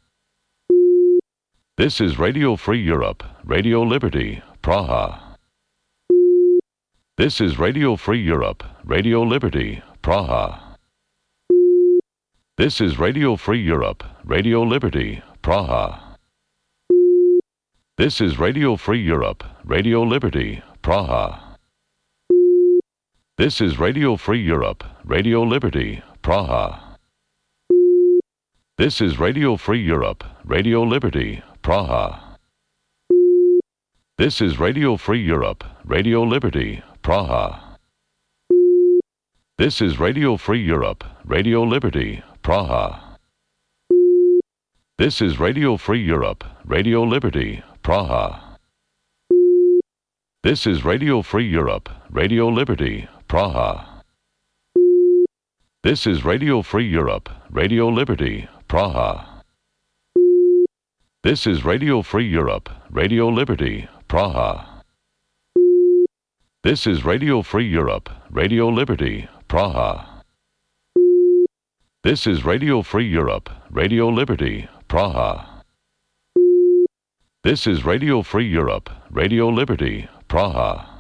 This is Radio Free Europe, Radio Liberty, Praha. This is Radio Free Europe, Radio Liberty, Praha. This is Radio Free Europe, Radio Liberty, Praha. This is Radio Free Europe, Radio Liberty, Praha. This is Radio Free Europe, Radio Liberty, Praha. This is Radio Free Europe, Radio Liberty, Praha. This is Radio Free Europe, Radio Liberty, Praha. This is Radio Free Europe, Radio Liberty, Praha. This is Radio Free Europe, Radio Liberty, Praha. This is Radio Free Europe, Radio Liberty, Praha. This is Radio Free Europe, Radio Liberty, Praha. This is Radio Free Europe, Radio Liberty, Praha. This is Radio Free Europe, Radio Liberty, Praha. This is Radio Free Europe, Radio Liberty, Praha. This is Radio Free Europe, Radio Liberty, Praha.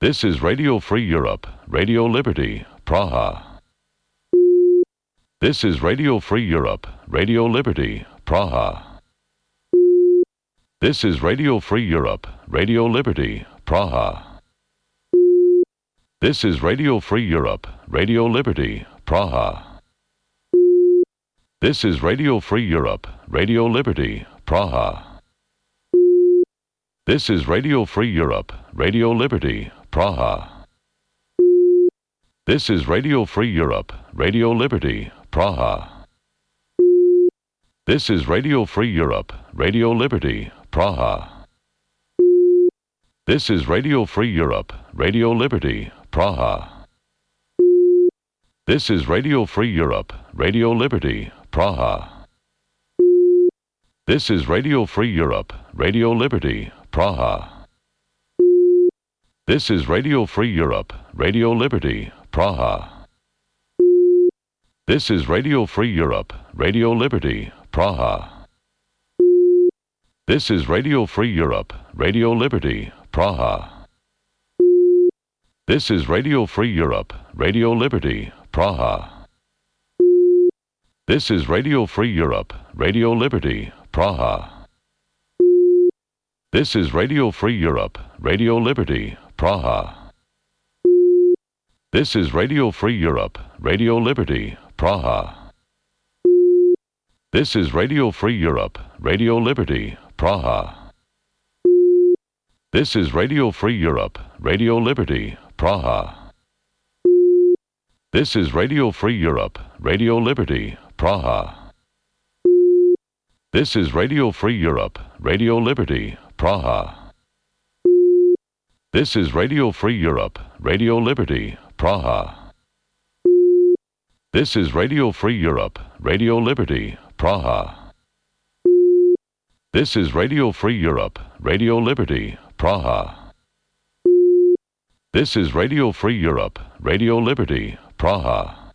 This is Radio Free Europe, Radio Liberty, Praha. This is Radio Free Europe, Radio Liberty, Praha. This is Radio Free Europe, Radio Liberty, Praha. This is Radio Free Europe, Radio Liberty, Praha. This is Radio Free Europe, Radio Liberty, Praha. This is Radio Free Europe, Radio Liberty, Praha. This is Radio Free Europe, Radio Liberty, Praha. This is Radio Free Europe, Radio Liberty, Praha. This is Radio Free Europe, Radio Liberty, Praha. This is Radio Free Europe, Radio Liberty, Praha. This is Radio Free Europe, Radio Liberty, Praha. This is Radio Free Europe, Radio Liberty, Praha. This is Radio Free Europe, Radio Liberty, Praha. This is Radio Free Europe, Radio Liberty, Praha. This is Radio Free Europe, Radio Liberty, Praha. This is Radio Free Europe, Radio Liberty, Praha. This is Radio Free Europe, Radio Liberty, Praha. This is Radio Free Europe, Radio Liberty, Praha. This is Radio Free Europe, Radio Liberty, Praha. This is Radio Free Europe, Radio Liberty, Praha. This is Radio Free Europe, Radio Liberty, Praha. This is Radio Free Europe, Radio Liberty, Praha. This is Radio Free Europe, Radio Liberty, Praha. This is Radio Free Europe, Radio Liberty, Praha. This is Radio Free Europe, Radio Liberty, Praha. This is Radio Free Europe, Radio Liberty, Praha.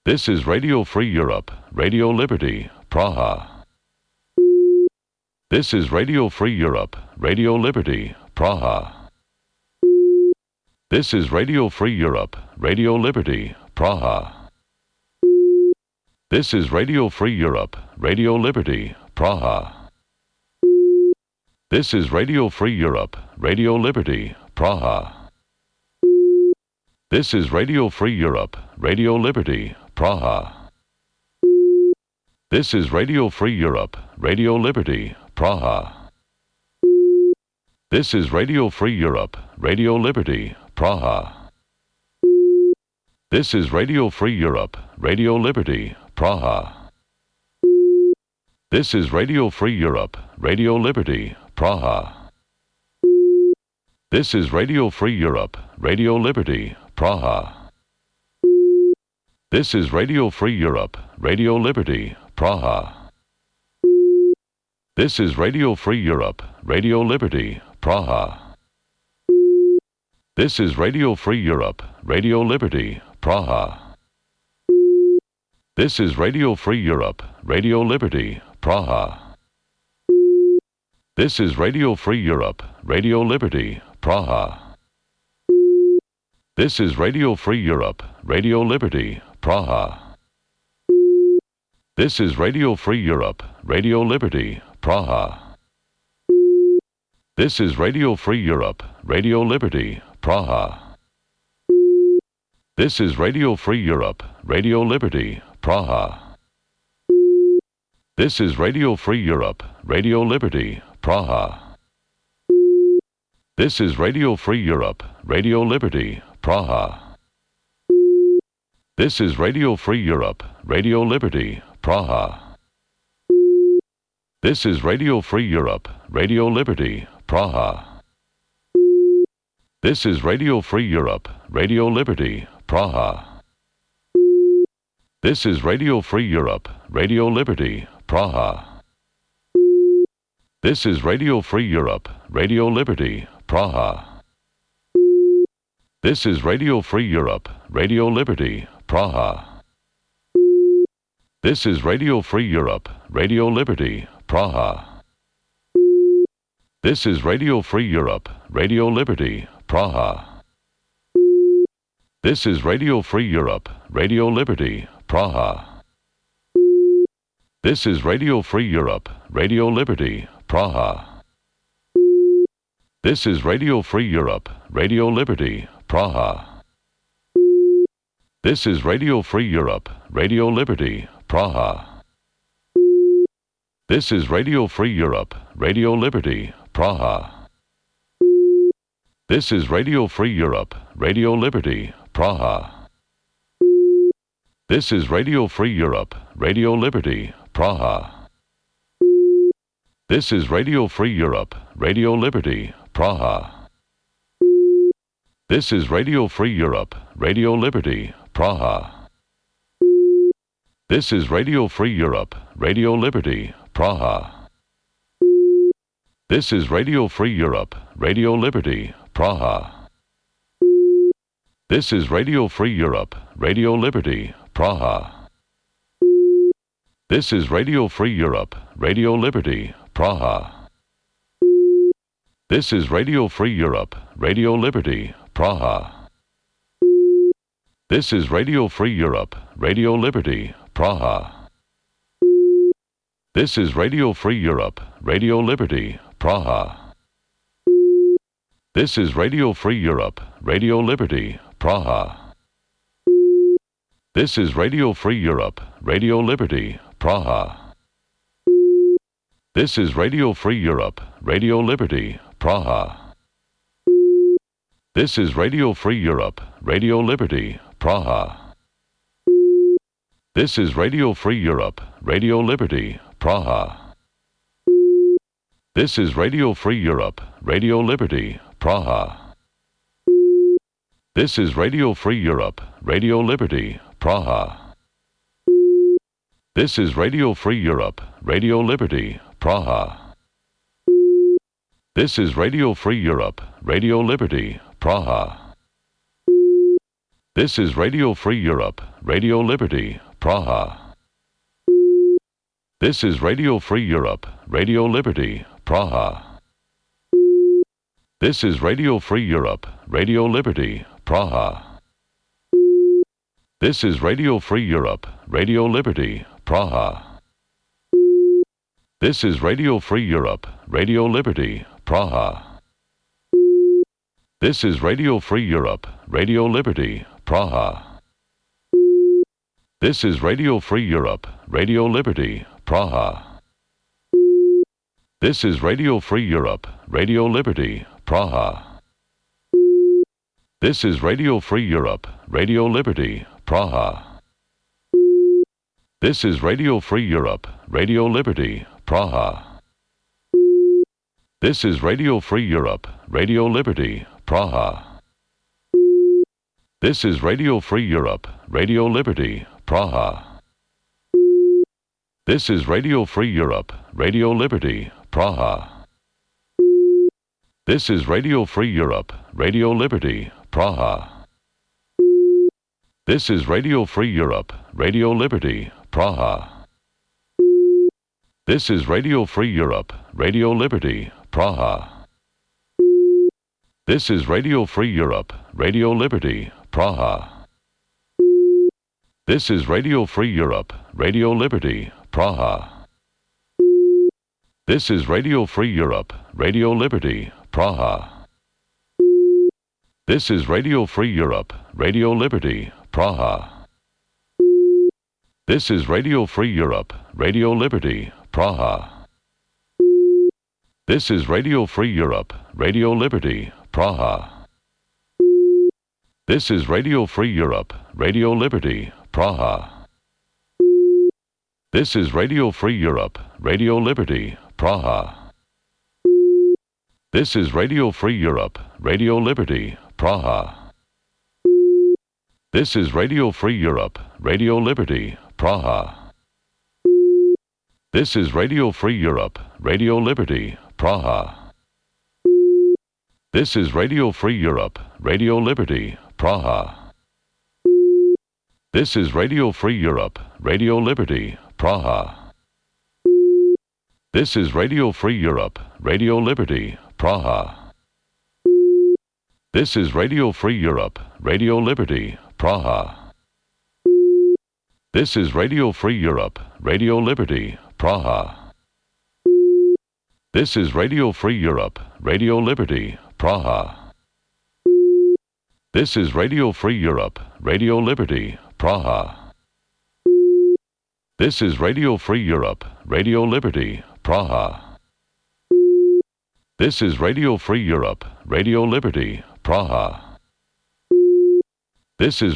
This is Radio Free Europe, Radio Liberty, Praha. This is Radio Free Europe, Radio Liberty, Praha. This is Radio Free Europe, Radio Liberty, Praha. This is Radio Free Europe, Radio Liberty, Praha. This is Radio Free Europe, Radio Liberty, Praha. This is Radio Free Europe, Radio Liberty, Praha. This is Radio Free Europe, Radio Liberty, Praha. This is Radio Free Europe, Radio Liberty, Praha. This is Radio Free Europe, Radio Liberty, Praha. This is Radio Free Europe, Radio Liberty, Praha. This is Radio Free Europe, Radio Liberty, Praha. This is Radio Free Europe, Radio Liberty, Praha. This is Radio Free Europe, Radio Liberty, Praha. This is Radio Free Europe, Radio Liberty, Praha. This is Radio Free Europe, Radio Liberty, Praha. This is Radio Free Europe, Radio Liberty, Praha. This is Radio Free Europe, Radio Liberty, Praha. This is Radio Free Europe, Radio Liberty, Praha. This is Radio Free Europe, Radio Liberty, Praha. This is Radio Free Europe, Radio Liberty, Praha. This is Radio Free Europe, Radio Liberty, Praha. This is Radio Free Europe, Radio Liberty, Praha. This is Radio Free Europe, Radio Liberty, Praha. This is Radio Free Europe, Radio Liberty, Praha. This is Radio Free Europe, Radio Liberty, Praha. This is Radio Free Europe, Radio Liberty, Praha. This is Radio Free Europe, Radio Liberty, Praha. This is Radio Free Europe, Radio Liberty, Praha. This is Radio Free Europe, Radio Liberty, Praha. This is Radio Free Europe, Radio Liberty, Praha. This is Radio Free Europe, Radio Liberty, Praha. This is Radio Free Europe, Radio Liberty, Praha. This is Radio Free Europe, Radio Liberty, Praha. This is Radio Free Europe, Radio Liberty, Praha. This is Radio Free Europe, Radio Liberty, Praha. This is Radio Free Europe, Radio Liberty, Praha. This is Radio Free Europe, Radio Liberty, Praha. This is Radio Free Europe, Radio Liberty, Praha. This is Radio Free Europe, Radio Liberty, Praha. This is Radio Free Europe, Radio Liberty, Praha. This is Radio Free Europe, Radio Liberty, Praha. This is Radio Free Europe, Radio Liberty, Praha. This is Radio Free Europe, Radio Liberty, Praha. This is Radio Free Europe, Radio Liberty, Praha. This is Radio Free Europe, Radio Liberty, Praha. This is Radio Free Europe, Radio Liberty, Praha. This is Radio Free Europe, Radio Liberty, Praha. This is Radio Free Europe, Radio Liberty, Praha. This is Radio Free Europe, Radio Liberty, Praha. This is Radio Free Europe, Radio Liberty, Praha. This is Radio Free Europe, Radio Liberty, Praha. This is Radio Free Europe, Radio Liberty, Praha. This is Radio Free Europe, Radio Liberty, Praha. This is Radio Free Europe, Radio Liberty, Praha. This is Radio Free Europe, Radio Liberty, Praha. This is Radio Free Europe, Radio Liberty, Praha. This is Radio Free Europe, Radio Liberty, Praha. This is Radio Free Europe, Radio Liberty, Praha. This is Radio Free Europe, Radio Liberty, Praha. This is Radio Free Europe, Radio Liberty, Praha. This is Radio Free Europe, Radio Liberty, Praha. This is Radio Free Europe, Radio Liberty, Praha. This is Radio Free Europe, Radio Liberty, Praha. This is Radio Free Europe, Radio Liberty, Praha. This is Radio Free Europe, Radio Liberty, Praha. This is Radio Free Europe, Radio Liberty, Praha. This is Radio Free Europe, Radio Liberty, Praha. This is Radio Free Europe, Radio Liberty, Praha. This is Radio Free Europe, Radio Liberty, Praha. This is Radio Free Europe, Radio Liberty, Praha. This is Radio Free Europe, Radio Liberty, Praha. This is Radio Free Europe, Radio Liberty, Praha. This is Radio Free Europe, Radio Liberty, Praha. This is Radio Free Europe, Radio Liberty, Praha. This is Radio Free Europe, Radio Liberty, Praha. This is Radio Free Europe, Radio Liberty, Praha. This is Radio Free Europe, Radio Liberty, Praha. This is Radio Free Europe, Radio Liberty, Praha. This is Radio Free Europe, Radio Liberty, Praha. This is Radio Free Europe, Radio Liberty, Praha. This is Radio Free Europe, Radio Liberty, Praha. This is Radio Free Europe, Radio Liberty, Praha. This is Radio Free Europe, Radio Liberty, Praha. This is Radio Free Europe, Radio Liberty, Praha. This is Radio Free Europe, Radio Liberty, Praha. This is Radio Free Europe, Radio Liberty, Praha. This is Radio Free Europe, Radio Liberty, Praha. This is Radio Free Europe, Radio Liberty, Praha. This is Radio Free Europe, Radio Liberty, Praha. This is Radio Free Europe, Radio Liberty, Praha. This is Radio Free Europe, Radio Liberty, Praha. This is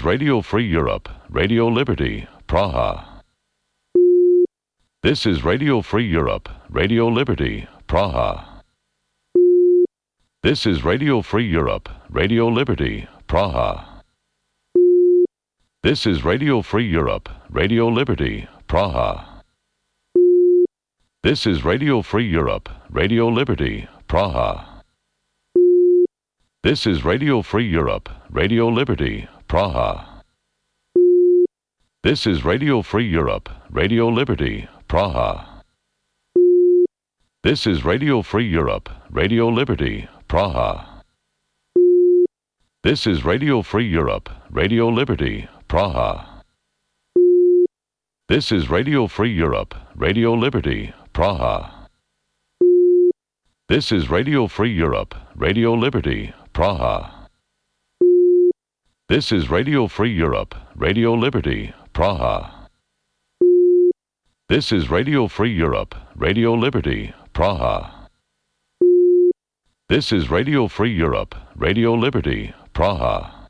Radio Free Europe, Radio Liberty, Praha. This is Radio Free Europe, Radio Liberty, Praha. This is Radio Free Europe, Radio Liberty, Praha. This is Radio Free Europe, Radio Liberty, Praha. This is Radio Free Europe, Radio Liberty, Praha. This is Radio Free Europe, Radio Liberty, Praha. This is Radio Free Europe, Radio Liberty, Praha. This is Radio Free Europe, Radio Liberty, Praha. This is Radio Free Europe, Radio Liberty, Praha. This is Radio Free Europe, Radio Liberty, Praha. This is Radio Free Europe, Radio Liberty, Praha. This is Radio Free Europe, Radio Liberty, Praha. This is Radio Free Europe, Radio Liberty, Praha. This is Radio Free Europe, Radio Liberty, Praha.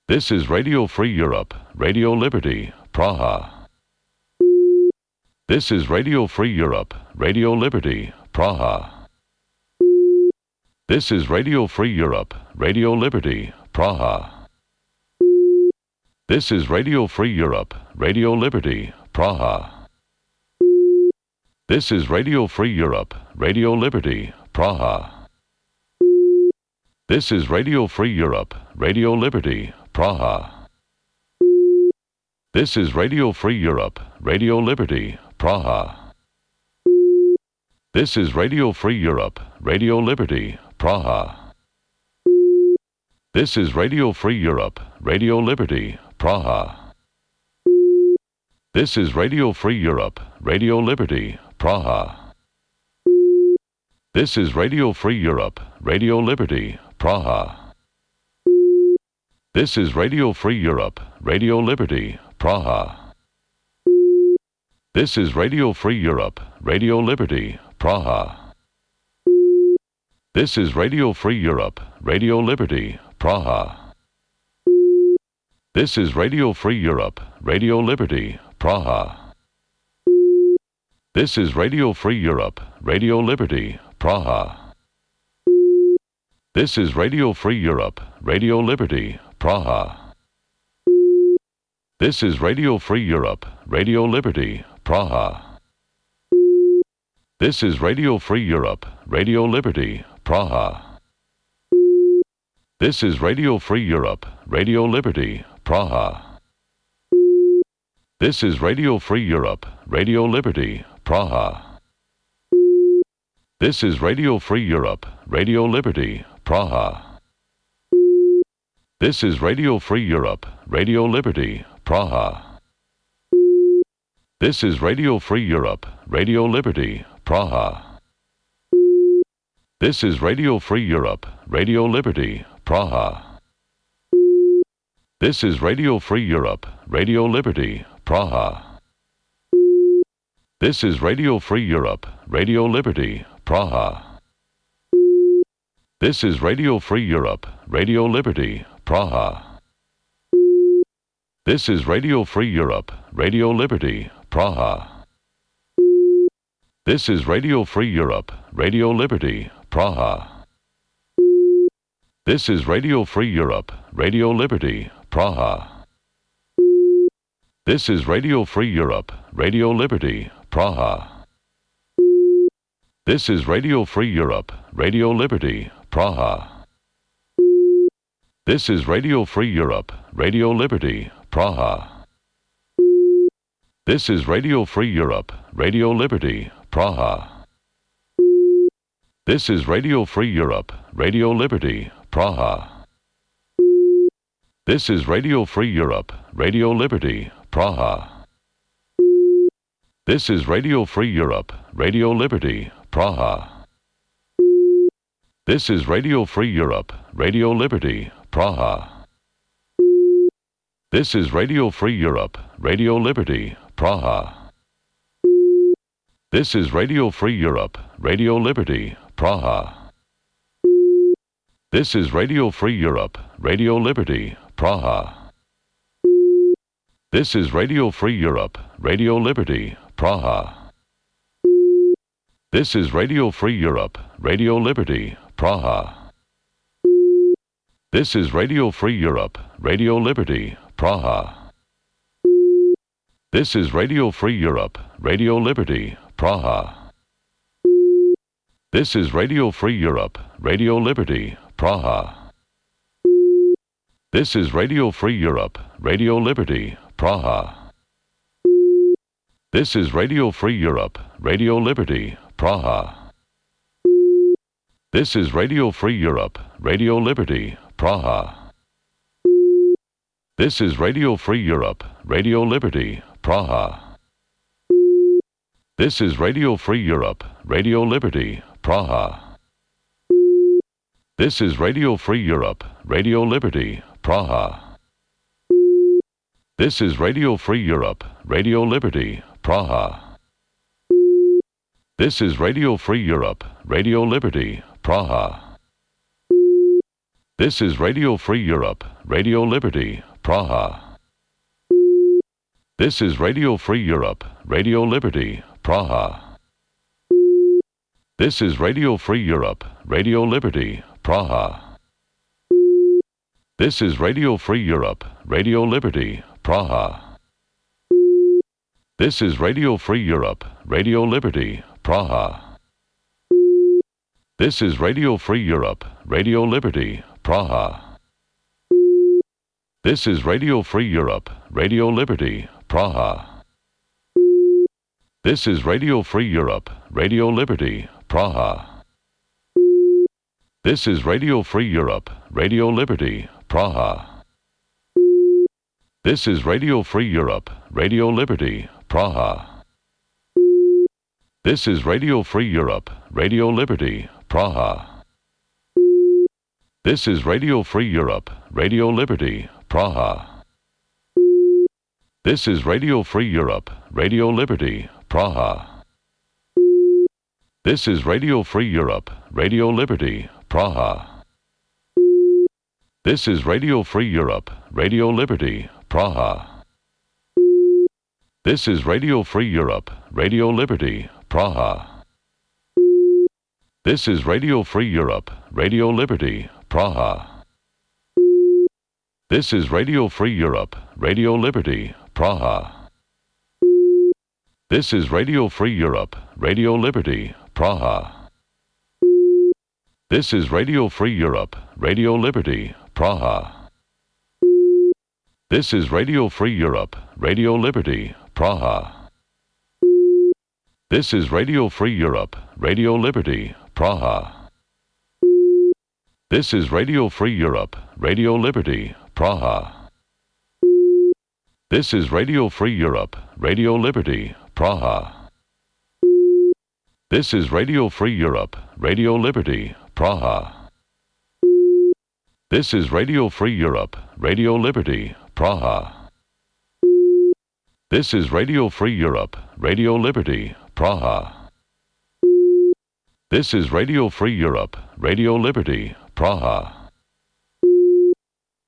This is Radio Free Europe, Radio Liberty, Praha. This is Radio Free Europe, Radio Liberty, Praha. This is Radio Free Europe, Radio Liberty, Praha. This is Radio Free Europe, Radio Liberty, Praha. This is Radio Free Europe, Radio Liberty, Praha. This is Radio Free Europe, Radio Liberty, Praha. This is Radio Free Europe, Radio Liberty, Praha. This is Radio Free Europe, Radio Liberty, Praha. This is Radio Free Europe, Radio Liberty, Praha. This is Radio Free Europe, Radio Liberty, Praha. This is Radio Free Europe, Radio Liberty, Praha. This is Radio Free Europe, Radio Liberty, Praha. This is Radio Free Europe, Radio Liberty, Praha. This is Radio Free Europe, Radio Liberty, Praha. This is Radio Free Europe, Radio Liberty, Praha. This is Radio Free Europe, Radio Liberty, Praha. This is Radio Free Europe, Radio Liberty, Praha. This is Radio Free Europe, Radio Liberty, Praha. This is Radio Free Europe, Radio Liberty, Praha. This is Radio Free Europe, Radio Liberty, Praha. This is Radio Free Europe, Radio Liberty, Praha. This is Radio Free Europe, Radio Liberty, Praha. This is Radio Free Europe, Radio Liberty, Praha. This is Radio Free Europe, Radio Liberty, Praha. This is Radio Free Europe, Radio Liberty, Praha. This is Radio Free Europe, Radio Liberty, Praha. This is Radio Free Europe, Radio Liberty, Praha. This is Radio Free Europe, Radio Liberty, Praha. This is Radio Free Europe, Radio Liberty, Praha. This is Radio Free Europe, Radio Liberty, Praha. This is Radio Free Europe, Radio Liberty, Praha. This is Radio Free Europe, Radio Liberty, Praha. This is Radio Free Europe, Radio Liberty, Praha. This is Radio Free Europe, Radio Liberty, Praha. This is Radio Free Europe, Radio Liberty, Praha. This is Radio Free Europe, Radio Liberty, Praha. This is Radio Free Europe, Radio Liberty, Praha. This is Radio Free Europe, Radio Liberty, Praha. This is Radio Free Europe, Radio Liberty, Praha. This is Radio Free Europe, Radio Liberty, Praha. This is Radio Free Europe, Radio Liberty, Praha. This is Radio Free Europe, Radio Liberty, Praha. This is Radio Free Europe, Radio Liberty, Praha. This is Radio Free Europe, Radio Liberty, Praha. This is Radio Free Europe, Radio Liberty, Praha. This is Radio Free Europe, Radio Liberty, Praha. This is Radio Free Europe, Radio Liberty, Praha. This is Radio Free Europe, Radio Liberty, Praha. This is Radio Free Europe, Radio Liberty, Praha. This is Radio Free Europe, Radio Liberty, Praha. This is Radio Free Europe, Radio Liberty, Praha. This is Radio Free Europe, Radio Liberty, Praha. This is Radio Free Europe, Radio Liberty, Praha. This is Radio Free Europe, Radio Liberty, Praha. This is Radio Free Europe, Radio Liberty, Praha. This is Radio Free Europe, Radio Liberty, Praha. This is Radio Free Europe, Radio Liberty, Praha. This is Radio Free Europe, Radio Liberty, Praha. This is Radio Free Europe, Radio Liberty, Praha. This is Radio Free Europe, Radio Liberty, Praha. This is Radio Free Europe, Radio Liberty, Praha. This is Radio Free Europe, Radio Liberty, Praha. This is Radio Free Europe, Radio Liberty, Praha. This is Radio Free Europe, Radio Liberty, Praha. This is Radio Free Europe, Radio Liberty, Praha. This is Radio Free Europe, Radio Liberty, Praha. This is Radio Free Europe, Radio Liberty, Praha. This is Radio Free Europe, Radio Liberty, Praha. This is Radio Free Europe, Radio Liberty, Praha. This is Radio Free Europe, Radio Liberty, Praha. This is Radio Free Europe, Radio Liberty, Praha. This is Radio Free Europe, Radio Liberty, Praha. This is Radio Free Europe, Radio Liberty, Praha. This is Radio Free Europe, Radio Liberty, Praha. This is Radio Free Europe, Radio Liberty, Praha. This is Radio Free Europe, Radio Liberty, Praha. This is Radio Free Europe, Radio Liberty, Praha. This is Radio Free Europe, Radio Liberty, Praha. This is Radio Free Europe, Radio Liberty, Praha. This is Radio Free Europe, Radio Liberty, Praha. This is Radio Free Europe, Radio Liberty, Praha. This is Radio Free Europe, Radio Liberty, Praha. This is Radio Free Europe, Radio Liberty, Praha.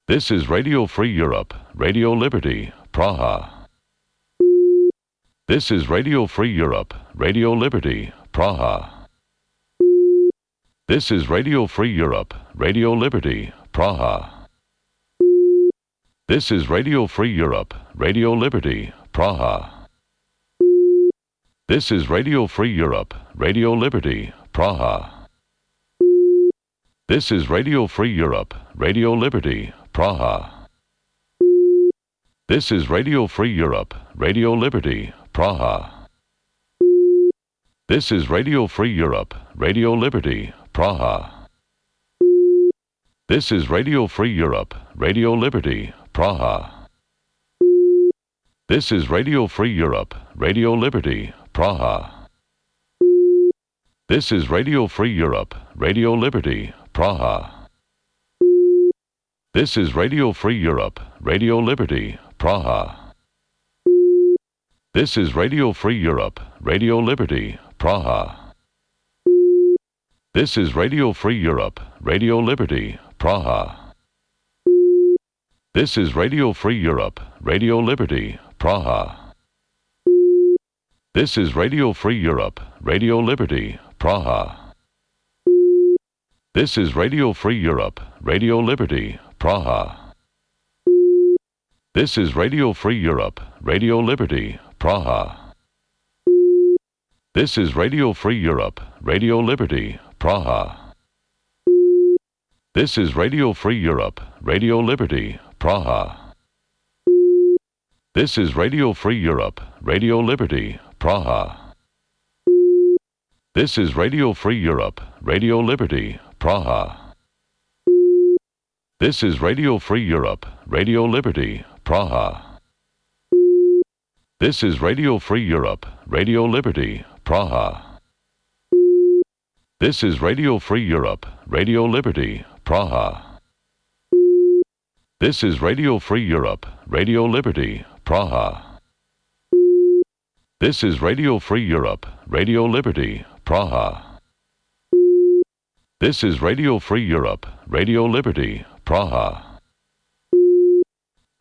This is Radio Free Europe, Radio Liberty, Praha. This is Radio Free Europe, Radio Liberty, Praha. This is Radio Free Europe, Radio Liberty, Praha. This is Radio Free Europe, Radio Liberty, Praha. This is Radio Free Europe, Radio Liberty, Praha. This is Radio Free Europe, Radio Liberty, Praha. This is Radio Free Europe, Radio Liberty, Praha. This is Radio Free Europe, Radio Liberty, Praha. This is Radio Free Europe, Radio Liberty, Praha. This is Radio Free Europe, Radio Liberty, Praha. This is Radio Free Europe, Radio Liberty, Praha. This is Radio Free Europe, Radio Liberty, Praha. This is Radio Free Europe, Radio Liberty, Praha. This is Radio Free Europe, Radio Liberty, Praha. This is Radio Free Europe, Radio Liberty, Praha. This is Radio Free Europe, Radio Liberty, Praha. This is Radio Free Europe, Radio Liberty, Praha. This is Radio Free Europe, Radio Liberty, Praha. This is Radio Free Europe, Radio Liberty, Praha. This is Radio Free Europe, Radio Liberty, Praha. This is Radio Free Europe, Radio Liberty, Praha. This is Radio Free Europe, Radio Liberty, Praha. This is Radio Free Europe, Radio Liberty, Praha. This is Radio Free Europe, Radio Liberty, Praha. This is Radio Free Europe, Radio Liberty, Praha. This is Radio Free Europe, Radio Liberty, Praha. This is Radio Free Europe, Radio Liberty, Praha. This is Radio Free Europe, Radio Liberty, Praha.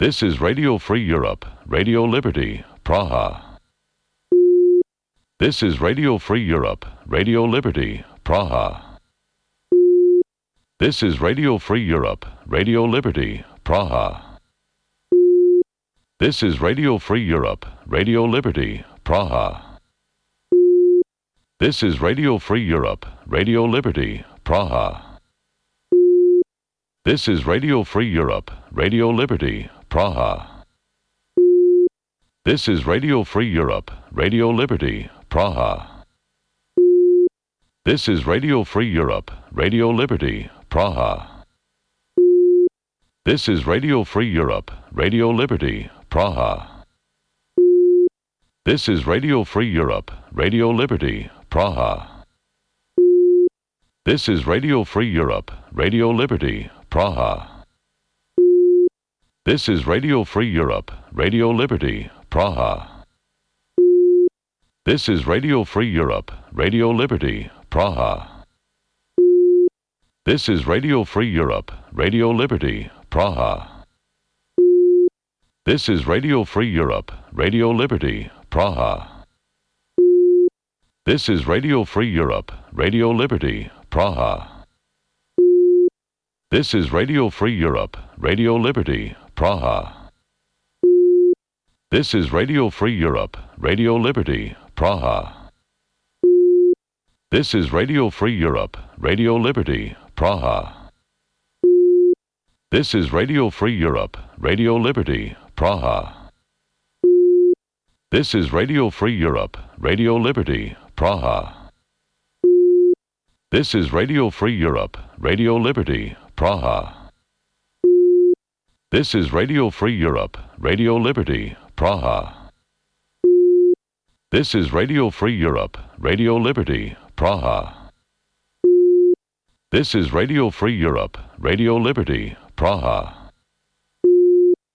This is Radio Free Europe, Radio Liberty, Praha. This is Radio Free Europe, Radio Liberty, Praha. This is Radio Free Europe, Radio Liberty, Praha. This is Radio Free Europe, Radio Liberty, Praha. This is Radio Free Europe, Radio Liberty, Praha. This is Radio Free Europe, Radio Liberty, Praha. This is Radio Free Europe, Radio Liberty, Praha. This is Radio Free Europe, Radio Liberty, Praha. This is Radio Free Europe, Radio Liberty, Praha. This is Radio Free Europe, Radio Liberty, Praha. This is Radio Free Europe, Radio Liberty, Praha. This is Radio Free Europe, Radio Liberty, Praha. This is Radio Free Europe, Radio Liberty, Praha. This is Radio Free Europe, Radio Liberty, Praha. This is Radio Free Europe, Radio Liberty, Praha. This is Radio Free Europe, Radio Liberty, Praha. This is Radio Free Europe, Radio Liberty, Praha. This is Radio Free Europe, Radio Liberty, Praha. This is Radio Free Europe, Radio Liberty, Praha. This is Radio Free Europe, Radio Liberty, Praha. This is Radio Free Europe, Radio Liberty, Praha. This is Radio Free Europe, Radio Liberty, Praha. This is Radio Free Europe, Radio Liberty, Praha. This is Radio Free Europe, Radio Liberty, Praha. This is Radio Free Europe, Radio Liberty, Praha.